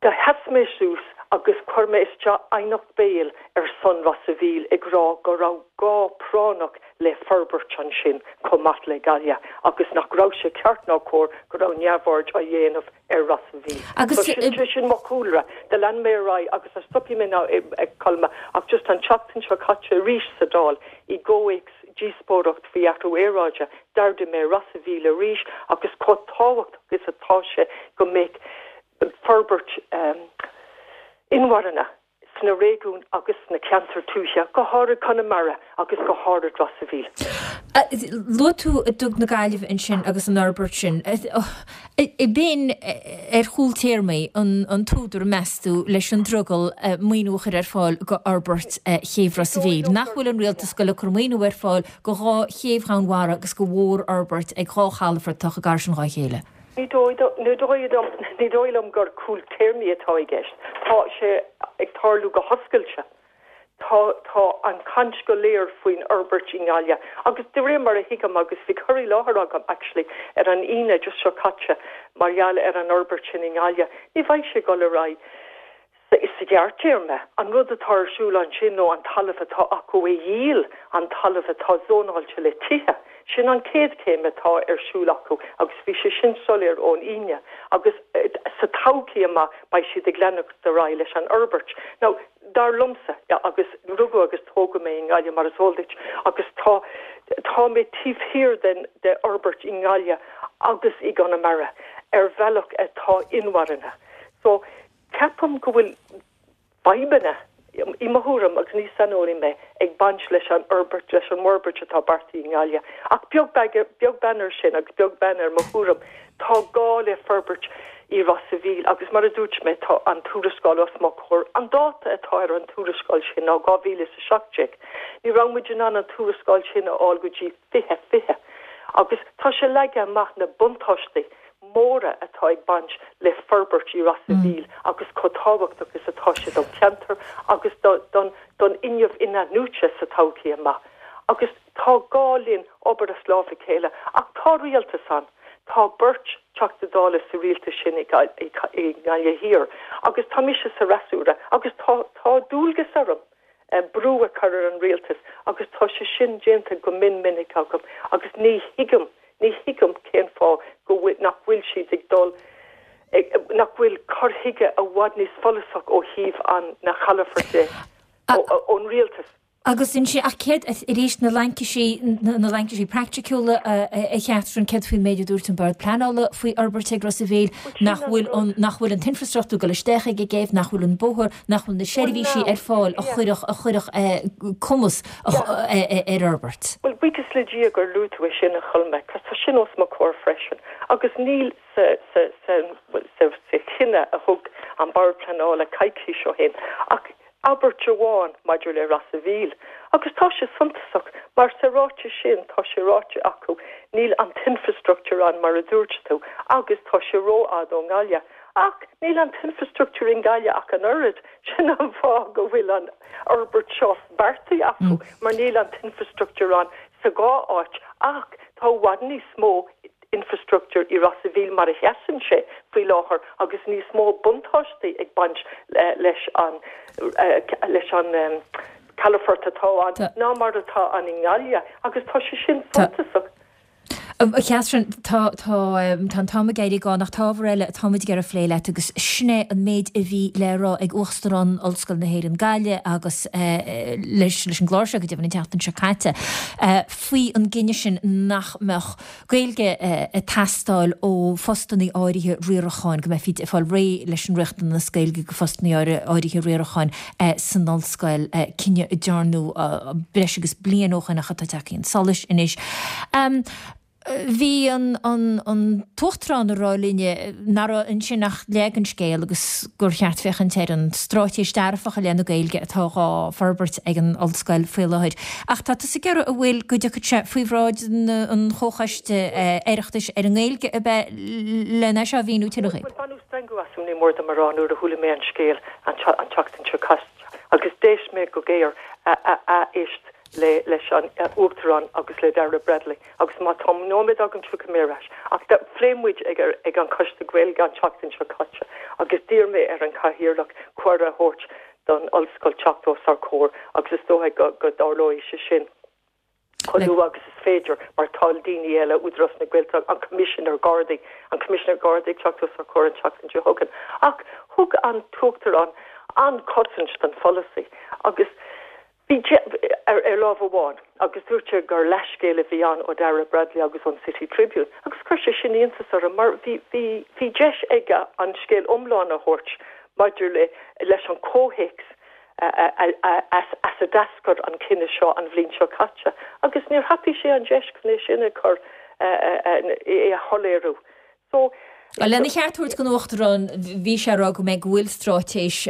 Do sheas mé suas agus chuir mé isteach aighneacht béil ar son Ros a' Mhíl ag rá go raibh gá práinneach le forbairt ansin chomh maith le Gaillimh agus nach raibh sé ceart ná cóir go raibh neamhaird á dhéanamh ar Ros a' Mhíl. Agus. So sin, sin mo chúlra. Do lean mé ar aghaidh agus ní stopfaidh mé now a Cholma ach just an tseachtain seo caite arís sa Dáil i gcomhthéacs díospóireacht faoi athrú aeráide d'ardaigh mé Ros a' Mhíl arís agus chomh tábhachtach is atá sé go mbeadh forbairt inmharthana sna réigiúin agus sna ceantair tuaithe, go háirid Conamara agus go háirid Ros a' Mhíl. Luaigh tú Duga na Gaillimhe ansin agus an fhorbairt sin. B'in ar chúl téarmaí an t-údar, meas tú, leis an drogall maoiniú a chur ar fáil go fhorbairt chéibh Ros a' Mhíl? Nach bhfuil an rialtas ag goil ag cur maoiniú ar fáil go dhá chéibh Dhomhainmhara agus go mhórfhorbairt ag dhá chalafort atá chomh gar sin dhá chéile? Ní dóigh liom gur cúl téarmaí atá i gceist. Tá sé ag tarlú go hoscailte. Tá tá an chaint go léir faoin fhorbairt i nGaillimh agus de réir mar a thuigim agus bhí cur i láthair agam actually ar an Aoine just seo caite mar gheall ar an fhorbairt sin i nGaillimh, ní bheidh sé ag dul ar aghaidh. Sa ghearrtéarma, an rud atá ar siúl ansin nó an talamh atá acu a dhíol, an talamh atá zónáilte le tithe, sin an chéad chéim atá ar siúl acu agus bhí sé sin soiléir ón Aoine agus sa todhchaí amach beidh siad ag leanacht ar aghaidh leis an fhorbairt. Now, dar liomsa, agus rugadh agus tógadh mé i nGaillimh mar is eol duit agus tá, tá mé taobh thiar den, de fhorbairt i nGaillimh agus i gConamara ar bhealach atá inmharthana. So, Ceapaim go bhfuil fadhbanna, i mo thuairim, agus ní saineolaí mé, ag baint leis an fhorbairt, leis an bhforbairt atá beartaithe i nGaillimh. Ach beag beag beann air sin agus beag beann ar mo thuairim, tá gá le forbairt i Ros a' Mhíl agus mar a dúirt mé, tá an tuarascáil os mo chomhair. An dáta atá ar an tuarascáil sin ná 2017. Ní raibh muid in ann an tuarascáil sin a fháil go dtí 2020 agus tá sé leagtha amach na buntáistí móra atá ag baint le forbairt i Ros a' Mhíl agus chomh tábhachtach is atá sé don cheantar agus don fhuinneamh in-athnuaite sa todhchaí amach. Agus tá gá linn obair as lámh a chéile ach tá rialtas ann, tá beirt Teachta Dála sa rialtas sin i nGaillimh Thiar agus tá mise sa fhreasúra agus tá tá dualgas orm brú a chur ar an rialtas agus tá sé sin déanta go mion minic agam agus ní thuigim, ní thuigim cén fáth go bhfuil, nach bhfuil siad ag dul. nach bhfuil cur chuige i bhfad níos follasach ó thaobh an na chalafoirt de ón rialtas. Agus ansin, ach céard, arís, na laincisí, na laincisí praiticiúla, a Chatherine, céard faoin méid a dúirt an Bord Pleanála faoi fhorbairt ag Ros a' Mhíl, nach bhfuil an, nach bhfuil an t-infreastruchtúr ag dul isteach ag an gcéibh, nach bhfuil an bóthar, nach bhfuil na seirbhísí ar fáil a chuirfeadh, a chuirfeadh cumas ar fhorbairt? Bhuel, buíochas le Dia gur luaigh tú é sin, a Cholmaic, 'cause tá sin os mo chomhair freisin. Agus níl sa, sa, sa, bhuel, sa, sa chinneadh a thug an Bord Pleanála coicís ó shin ach abairt amháin maidir le Ros a' Mhíl, agus tá sé suntasach mar sa ráiteas sin tá sé ráite acu níl an t-infreastruchtúr ann mar a dúirt tú agus tá sé rófhada ón nGaillimh. Ach níl an t-infreastruchtúr i nGaillimh ach an oiread, sin an fáth go bhfuil an fhorbairt seo beartaithe acu mar níl an t-infreastruchtúr ann sa dhá áit ach tá i bhfad níos mó infreastruchtúr i Ros a' Mhíl mar a sheasann sé faoi láthair agus níos mó buntáistí ag baint leis an leis an calafort atá ann ná mar atá ann i nGaillimh agus tá sé sin suntasach. A Chatherine, tá tá tá an t-am ag éirí gann ach tá ábhar eile atá muid ag iarraidh a phlé leat agus sin é an méid a bhí le rá ag Uachtarán Ollscoil na hÉireann Gaillimh agus leis leis an gclár seo go deimhin an tseachtain seo caite faoi an gcinneadh sin nach mbeadh Gaeilge ag teastáil ó phostanna áirithe riaracháin, go mbeifí ag fáil réidh leis an riachtanas Gaeilge do phostanna áirithe riaracháin san ollscoil, cinneadh a dearnadh breis agus bliain ó shoin ach atá tagtha chun solais anois. Bhí an tUachtarán ag rá linne nach raibh ansin ach leath den scéal agus gur cheart féachaint ar an straitéis dearfach i leith na Gaeilge atá dhá forbairt ag an ollscoil faoi láthair. Ach tá tusa ag iarraidh an bhfuil go dtiocfaidh sé faoi bhráid an Chomhchoiste Oireachtais ar an nGaeilge ab ea len é seo a mhíniú tuilleadh dhaoibh? Bhuel, baineadh stangadh asam, ní mór dom a rá, nuair a chuala mé an scéal an tseachtain seo caite agus d'éist mé go géar a éist leis an Uachtarán agus le Daire Bradley agus má tá nóiméad agam tiocfaidh mé ar ais. Ach phléigh muid ag an Choiste Gaeilge an tseachtain seo caite agus d'iarr mé ar an Chathaoirleach cuireadh a thabhairt don ollscoil teacht os ár gcomhair agus is dóigh go dtarlóidh sé sin chomh luath agus is féidir mar tá daoine eile, Údarás na Gaeltachta, an Coimisinéir Gardaí, an Coimisinéir Gardaí ag teacht os ár gcomhair an tseachtain seo chugainn. Ach thug an tUachtarán an-chosaint don pholasaí agus Bhí ar lámh amháin, agus dúirt sé gur leathscéal a bhí ann ó Daire Bradley agus ón City Tribune, agus chuir sé sin iontas orm mar bhí, bhí, bhí deis aige an scéal iomlán a thabhairt maidir le, leis an chomhthéacs as a d'eascair an cinneadh seo an bhliain seo caite, agus níor thapaigh sé an deis chun é sin a chur, é a shoiléiriú. So. Lena cheart a thabhairt don Uachtarán, bhí sé ag rá go mbeidh, go bhfuil straitéis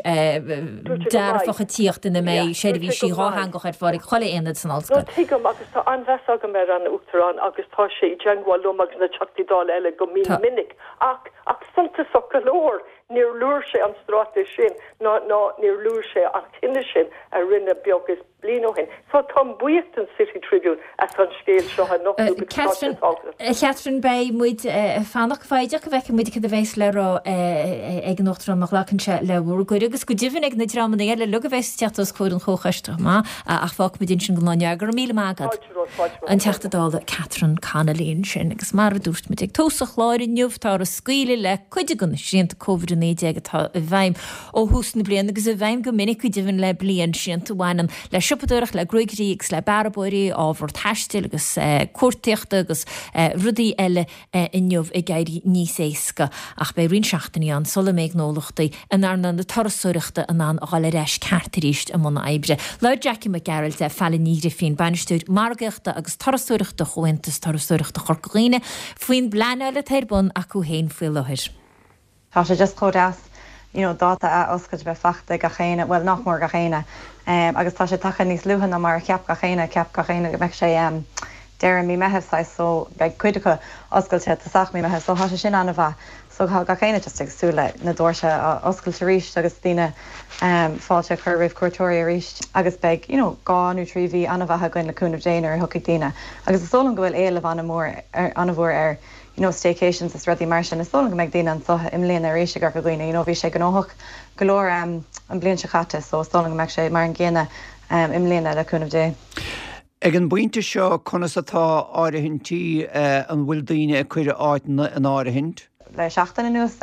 dearfach ag tíocht ina mbeidh seirbhísí dhátheangach ar fáil ag chuile aonad san ollscoil. No, tuigim agus tá an-mheas agam ar an Uachtarán agus tá sé i dteangmháil liom agus na Teachtaí Dála eile go mion minic ach, ach suntasach go leor, níor luaigh sé an straitéis sin ná, ná níor luaigh sé an cinneadh sin a rinneadh beag is bliain ó shin. So táim buíoch den City Tribune as an scéal seo a nochtadh because tá sé tábhachtach. A Chatherine, beidh muid ag fanacht go foighdeach go bhfeicfidh muid cad a bheas le rá ag an Uachtarán má ghlacann sé le bhur gcuireadh agus go deimhin ag na dreamanna eile uilig a bheas ag teacht os comhair an Chomhchoiste chomh maith ach fágfaidh muid ansin don lá inniu. Go raibh míle maith agat. An Teachta Dála Catherine Connolly ansin agus mar a dúirt muid ag tús an chláir inniu táthar ag scaoileadh le cuid de na srianta Covid-19 atá i bhfeidhm ó thús na bliana agus i bhfeidhm go minic go deimhin le bliain, srianta a bhaineann le siopadóireacht, le gruaigairí agus le bearbóirí, ábhar taistil agus cuartaíochta agus rudaí eile inniu ag éirí níos éasca. Ach beidh roinnt seachtainí ann sula mbeidh gnólachtaí in earnáil na turasóireachta in ann a dhul ar ais ceart arís i mbun oibre. Labhair Jackie Mac Gearailt le Failin Ní Ghrifín, Bainisteoir Margaíochta agus Turasóireachta Chomhaontas Turasóireachta Chorca Dhuibhne, faoin bpleanáil atá ar bun acu féin faoi láthair. Tá sé just chomh deas you know dáta a oscailt a bheith fachta ag gach éinne, bhuel nach mór gach éinne agus tá sé tagtha níos luaithe ná mar a cheap gach éinne, cheap gach éinne go mbeadh sé deireadh mí Meitheamh saghas so beidh cuid acu oscailte tosach mí Meitheamh so tá sé sin an-mhaith so tá gach éinne just ag súil le na doirse a oscailt arís agus daoine fáilte a chur roimh cuairteoirí arís agus beidh you know 2 nó 3 mhí an-mhaith againn le cúnamh Dé nuair a thiocfaidh daoine agus is dóigh liom go bhfuil éileamh an-mhór an-mhór ar you know staycations is rudaí mar sin. Is dóigh liom go mbeidh daoine anseo i mbliana arís i gCorca Dhuibhne, you know bhí sé gnóthach go leor an bhliain seo caite so is dóigh liom go mbeidh sé mar an gcéanna i mbliana le cúnamh Dé. Ag an bpointe seo conas atá áirithintí, an bhfuil daoine ag cur áiteanna in áirithint? le seachtain anuas.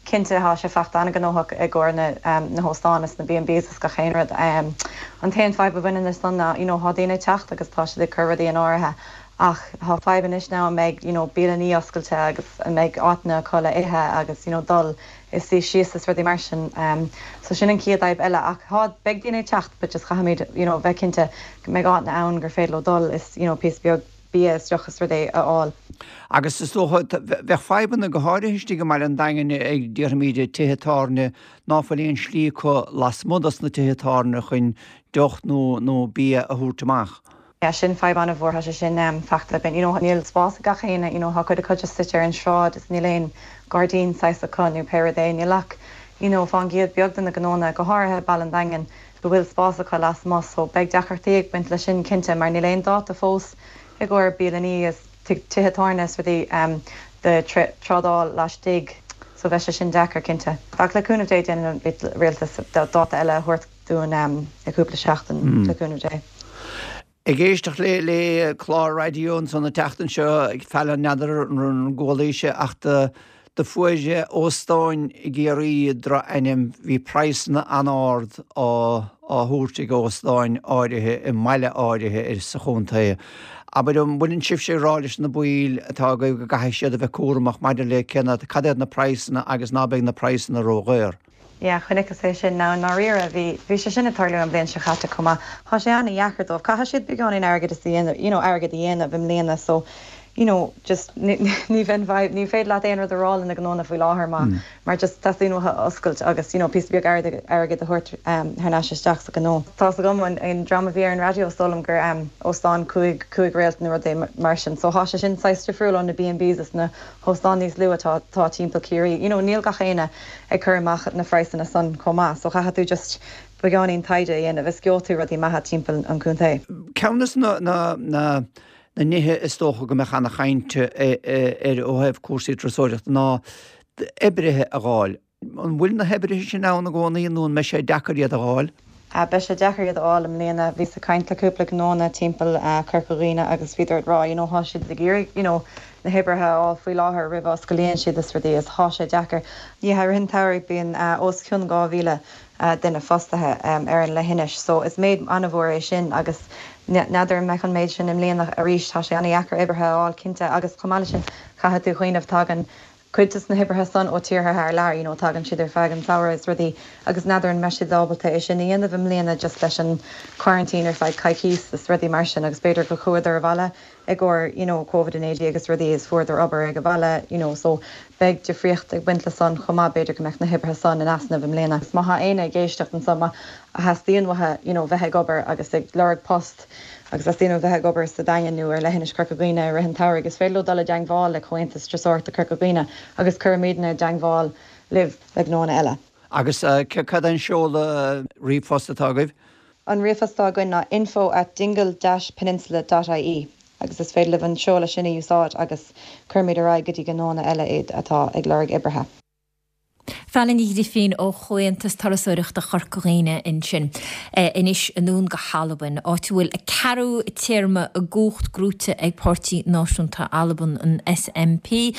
Cinnte tá sé fachta an-ghnóthach i gcomhair na na hóstáin is na B&Bs is gach aon rud. An t-aon fadhb a bhaineann leis san ná you know thá daoine ag teacht agus tá siad ag cur rudaí in áirithe ach thá fadhb anois now an mbeidh you know bialannaí oscailte agus an mbeidh áiteanna acu le ithe agus you know dul is suí síos is rudaí mar sin. So sin an chéad fhadhb eile ach thá beidh daoine ag teacht but just chaithfimid you know bheith cinnte go mbeidh áiteanna ann gur féidir leo dul is you know píosa beag bia is deoch is rudaí a fháil. Agus is dócha, bheadh fadhbanna go háirithe istigh i mbaile an Daingin ag, déarfaimid, tithe tábhairne ná fuil aon slí acu lasmuigh dos na tithe tábhairne chun deoch nó nó bia a thabhairt amach. Yeah, sin fadhb an-mhór, tá sé sin fachta againn. You know, níl spás ag gach éinne, you know, tá cuid acu just suite ar an sráid is níl aon gairdín saghas acu nó pé rud é. Níl ach, you know, fán gcéad beag de na gnónna, go háirithe i Baile an Daingin, go bhfuil spás acu lasmuigh so beidh deacrachtaí ag baint leis sin cinnte mar níl aon dáta fós i gcomhair bialannaí is tithe tábhairne is rudaí do trádáil laistigh so bheidh sé sin deacair cinnte. Ach le cúnamh Dé déanfaidh an rialtas dáta eile a thabhairt dúinn i gcúpla seachtain le cúnamh Dé. Ag éisteacht le le clár raidió ansan an tseachtain seo ag Fallon n'fheadar an gcualaís é ach do do fuair óstáin i gCiarraí droch-ainm, bhí praghsanna an-ard á á thabhairt ag óstáin áirithe i mbaile áirithe sa chontae. Abair an bhfuileann sibhse ag rá leis na baill atá agaibh go gcaithfidh siad a bheith cúramach maidir le cé na cad iad na praghsanna agus ná beidh na praghsanna ródhaor? Yeah, chonaiceas é sin. Now, i ndáiríre, bhí, bhí sé sin ag tarlú an bhliain seo chaite chomh maith. Tá sé an-dheacair dóibh. Caithfidh siad beagáinín airgid a dhéanamh, you know, airgead a dhéanamh i mbliana so, you know, just ní, ní bheinn, ní féidir leat aon rud a rá le na gnónna faoi láthair má, mar just teastaíonn uathu oscailt agus, you know, píosa beag airgead, airgead a thabhairt thar n-ais isteach sa ghnó. Tá's agam, an, an dream a bhí ar an raidió, is dóigh liom gur óstán cúig, cúig réalt nó rud é mar sin. So thá sé sin saghas difriúil ó na B&Bs is na hóstáin níos lú atá, atá timpeall Ciarraí. You know, níl gach éinne ag cur amach na phraghsanna san chomh maith so chaithfidh tú just beagáinín taighde a dhéanamh is gheobhaidh tú rudaí maithe timpeall an chontae. Ceann de na nithe is dócha go mbeadh ana-chaint air ó thaobh cúrsaí turasóireachta ná oibrithe a dh'fháil. An bhfuil na hoibrithe sin ann i gcónaí nó an mbeidh sé deacair iad a dh'fháil? Beidh sé deacair iad a fháil i mbliana. Bhíos ag caint le cúpla gnónna timpeall Corca Dhuibhne agus bhíodar ag rá you know thá siad ag iarraidh you know na hoibrithe a fháil faoi láthair roimh a osclaíonn siad is rudaí is thá sé deacair. Yeah i rith an tsamhraidh bíonn os cionn 2,000 duine fostaithe ar an leithinis so is méid an-mhór é sin agus n'fheadar an mbeidh an méid sin i mbliana arís. Tá sé an-dheacair oibrithe a fháil cinnte agus chomh maith leis sin caithfidh tú cuimhneamh tagann cuid des na hoibrithe san ó tíortha thar lear, you know, tagann siad ar feadh an tsamhraidh is rudaí agus n'fheadar an mbeidh siad ábalta é sin a dhéanamh i mbliana just leis an quarantine ar feadh coicís is rudaí mar sin agus b'fhéidir go chuadar abhaile i gcomhair, you know, Covid-19 agus rudaí is fuaireadar obair ag an bhaile, you know, so beidh difríocht ag baint le san chomh maith, b'fhéidir go mbeadh na hoibrithe san in easnamh i mbliana. Má thá éinne ag éisteacht anso má theastaíonn uathu, you know, bheith ag obair agus ag lorg post, agus teastaíonn uathu bheith ag obair sa Daingean nó ar leithinis Chorca Dhuibhne i rith an tsamhraidh, is féidir leo dul i dteangmháil le Comhaontas Turasóireachta Chorca Dhuibhne agus cuirfimidne i dteangmháil libh le gnóanna eile. Agus cad é an seoladh ríomhphost atá agaibh? An ríomhphost atá againn ná info at dingle dash peninsula dot ie agus is féidir libh an seoladh sin a úsáid agus cuirfimid ar aghaidh go dtí gnóanna eile iad atá ag lorg oibrithe. Failon Ní Ghrifín ó Chomhaontas Turasóireachta Chorca Dhuibhne ansin. Anois anonn go hAlbain, áit a bhfuil a ceathrú téarma i gcumhacht gnóite ag Páirtí Náisiúnta Alban, an SNP.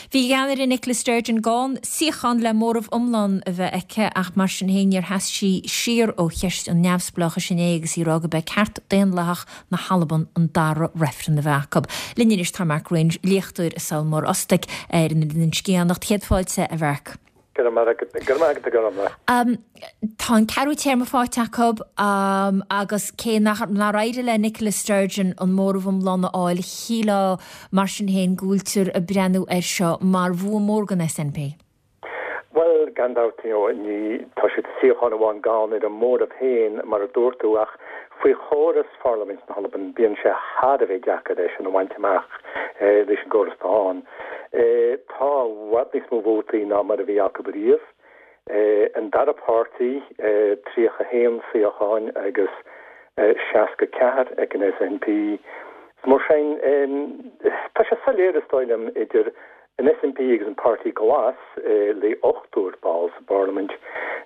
Bhí a gceannaire Nicola Sturgeon gann suíochán le móramh iomlán a bheith aici ach mar sin féin níor sheas sí siar ó cheist an neamhspleáchais inné agus í ag rá gurb é ceart daonlathach na hAlban an dara reifreann a bheith acu. Linn anois tá Mark Wringe, léachtóir i Sabhal Mór Ostaig ar an Eilean Sgitheanach. Céad fáilte, a Mhark. Go raibh maith agat, go raibh maith agat a Ghormfhlaith. Tá an ceathrú téarma faighte acu agus cé nár éirigh le Nicola Sturgeon an móramh iomlán a fháil, shílfeá mar sin féin go bhfuiltear ag breathnú air seo mar bhua mór don SNP. Bhuel, gan dabht, you know, ní, tá siad suíochán amháin gann ar an móramh féin, mar a dúirt tú, ach faoi chóras Pharlaimint na hAlban, bíonn sé thar a bheith deacair é sin a bhaint amach leis an gcóras atá ann. Tá i bhfad níos mó vótaí ná mar a bhí acu riamh. An dara páirtí, 31 suíochán agus 64 ag an SNP. Mar sin, tá sé soiléir, is dóigh liom, idir An SNP agus an Páirtí Glas, le ochtar ball sa bParlaimint,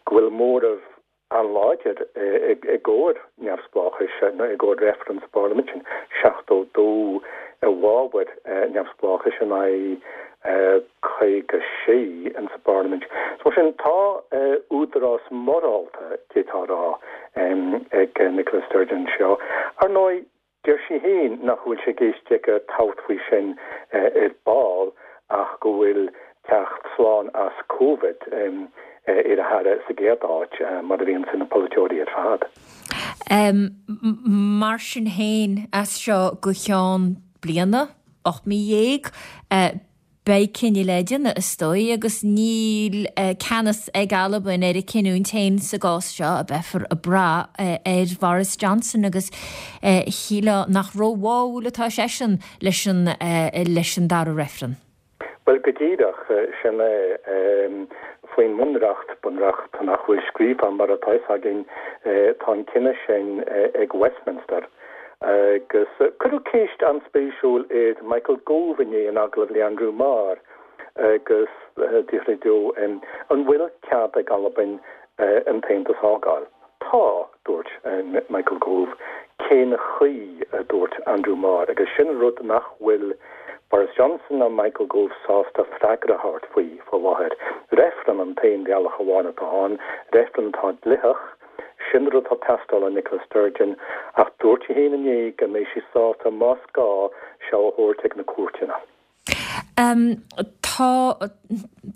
go bhfuil móramh an-láidir i gcomhair neamhspleáchais nó i gcomhair reifreann sa bParlaimint, sin 72 i bhfabhar neamhspleáchais in aghaidh. 56 insa bParlaimint. So mar sin tá údarás morálta, d'fhéadfá a rá, ag Nicola Sturgeon anseo. Ar ndóigh, deir sí féin nach bhfuil sé i gceist aici tabhairt faoi sin ar ball ach go bhfuil teacht slán as Covid ar a haire sa gcéad áit, mar a bhíonns ag na polaiteoirí ar fad. Mar sin féin, as seo go ceann bliana, 18 mí, beidh cinneadh le déanamh, is dóigh, agus níl ceannas ag Albain ar a cinniúint féin sa gcás seo, beifear ag brath ar Bhoris Johnson agus shílfeá nach róbháúil atá seisean leis an leis an dara reifreann. Bhuel, go díreach, sin é. Faoin mBunreacht, bunreacht nach bhfuil scríofa mar atá fhios againn, tá an cinneadh sin ag Westminster. Agus cuireadh ceist an-spéisiúil ar Michael Gove inné in agallamh le Andrew Marr agus d'fhiafraigh dó an bhfuil cead ag Albain an tAontas a fhágáil. Tá, dúirt Michael Gove. Cén chaoi? a dúirt Andrew Marr. Agus sin an rud nach bhfuil Boris Johnson ná Michael Gove sásta freagra a thabhairt faoi faoi láthair. Reifreann an t-aon bhealach amháin atá ann, reifreann atá dlitheach. Sin an rud atá ag teastáil ó Nicola Sturgeon. Ach dúirt sí féin inné go mbeidh sí sásta, más gá, seo a thabhairt ag na cúirteanna. Tá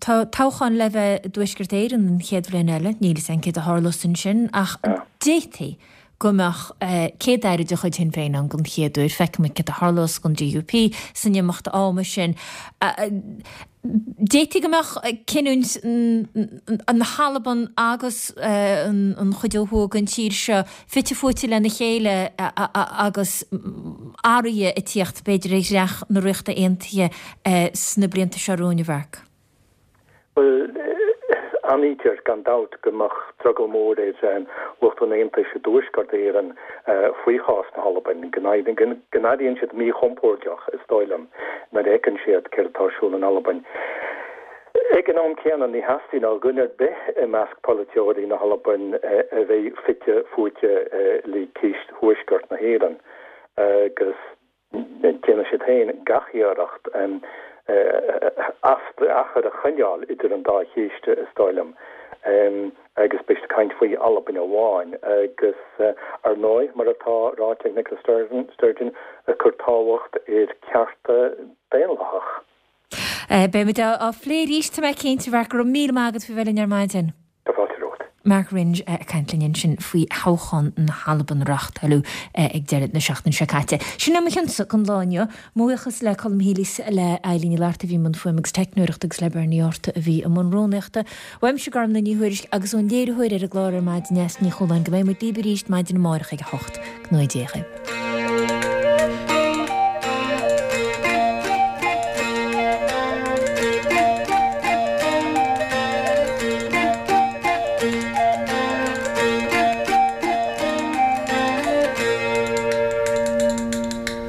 tá toghchán le bheith i dTuaisceart Éireann an chéad bhliain eile, níl fhios againn céard a tharlós ansin ach d'fhéadfaí go mbeadh Céad-Aire de chuid Shinn Féin ann don chéad uair. Feicfidh muid céard a tharlós don DUP san imeacht ama sin. D'fhéadfaí go mbeadh cinniúint na hAlban agus an chuid ó thuaidh den tír seo fite fuaite lena chéile agus athruithe ag tíocht, b'fhéidir, ar dhreach na Ríochta Aontaithe sna blianta seo romhainn, a Mharc. Bhuel, aithnítear gan dabht go mbeadh drogall mór ar lucht an Aontais i dTuaisceart Éireann faoi chás na hAlban, go n-airíonn siad míchompordach, is dóigh liom, nuair a fheiceann siad céard atá ar siúl in Albain. Ag an am céanna, ní theastaíonn ó dhuine ar bith i measc polaiteoirí na hAlban a bheith fite fuaite le ceist Thuaisceart na hÉireann agus déanfaidh siad féin gach iarracht achar a choinneáil idir an dá chéist, is dóigh liom, agus beidh siad ag caint faoi Albain amháin agus, ar ndóigh, mar atá ráite ag Nicola Sturgeon, ag cur tábhacht ar chearta daonlathach. Beidh muid á phlé arís, tá mé cinnte, Mharc. Go raibh míle maith agat faoi bheith linn ar maidin. Tá fáilte romhat. Mark Wringe ag caint linn ansin faoi thoghchán na hAlban a reáchtáladh ag deireadh na seachtaine seo caite. Sin é mo chionsa don lá inniu. Mo bhuíochas le Colm Healy, le Eileen Ní Fhlatharta a bhí i mbun fuaime agus teicneoireachta agus le Bernie Arthur a bhí i mbun rúnaíochta. Uaimse Gormfhlaith Ní Thuairisg agus ón léiritheoir ar an gclár ar maidin Neasa Ní Chualáin go mbeidh muid libh arís maidin amárach ag a 8. Go ngnóthaí Dia dhaoibh.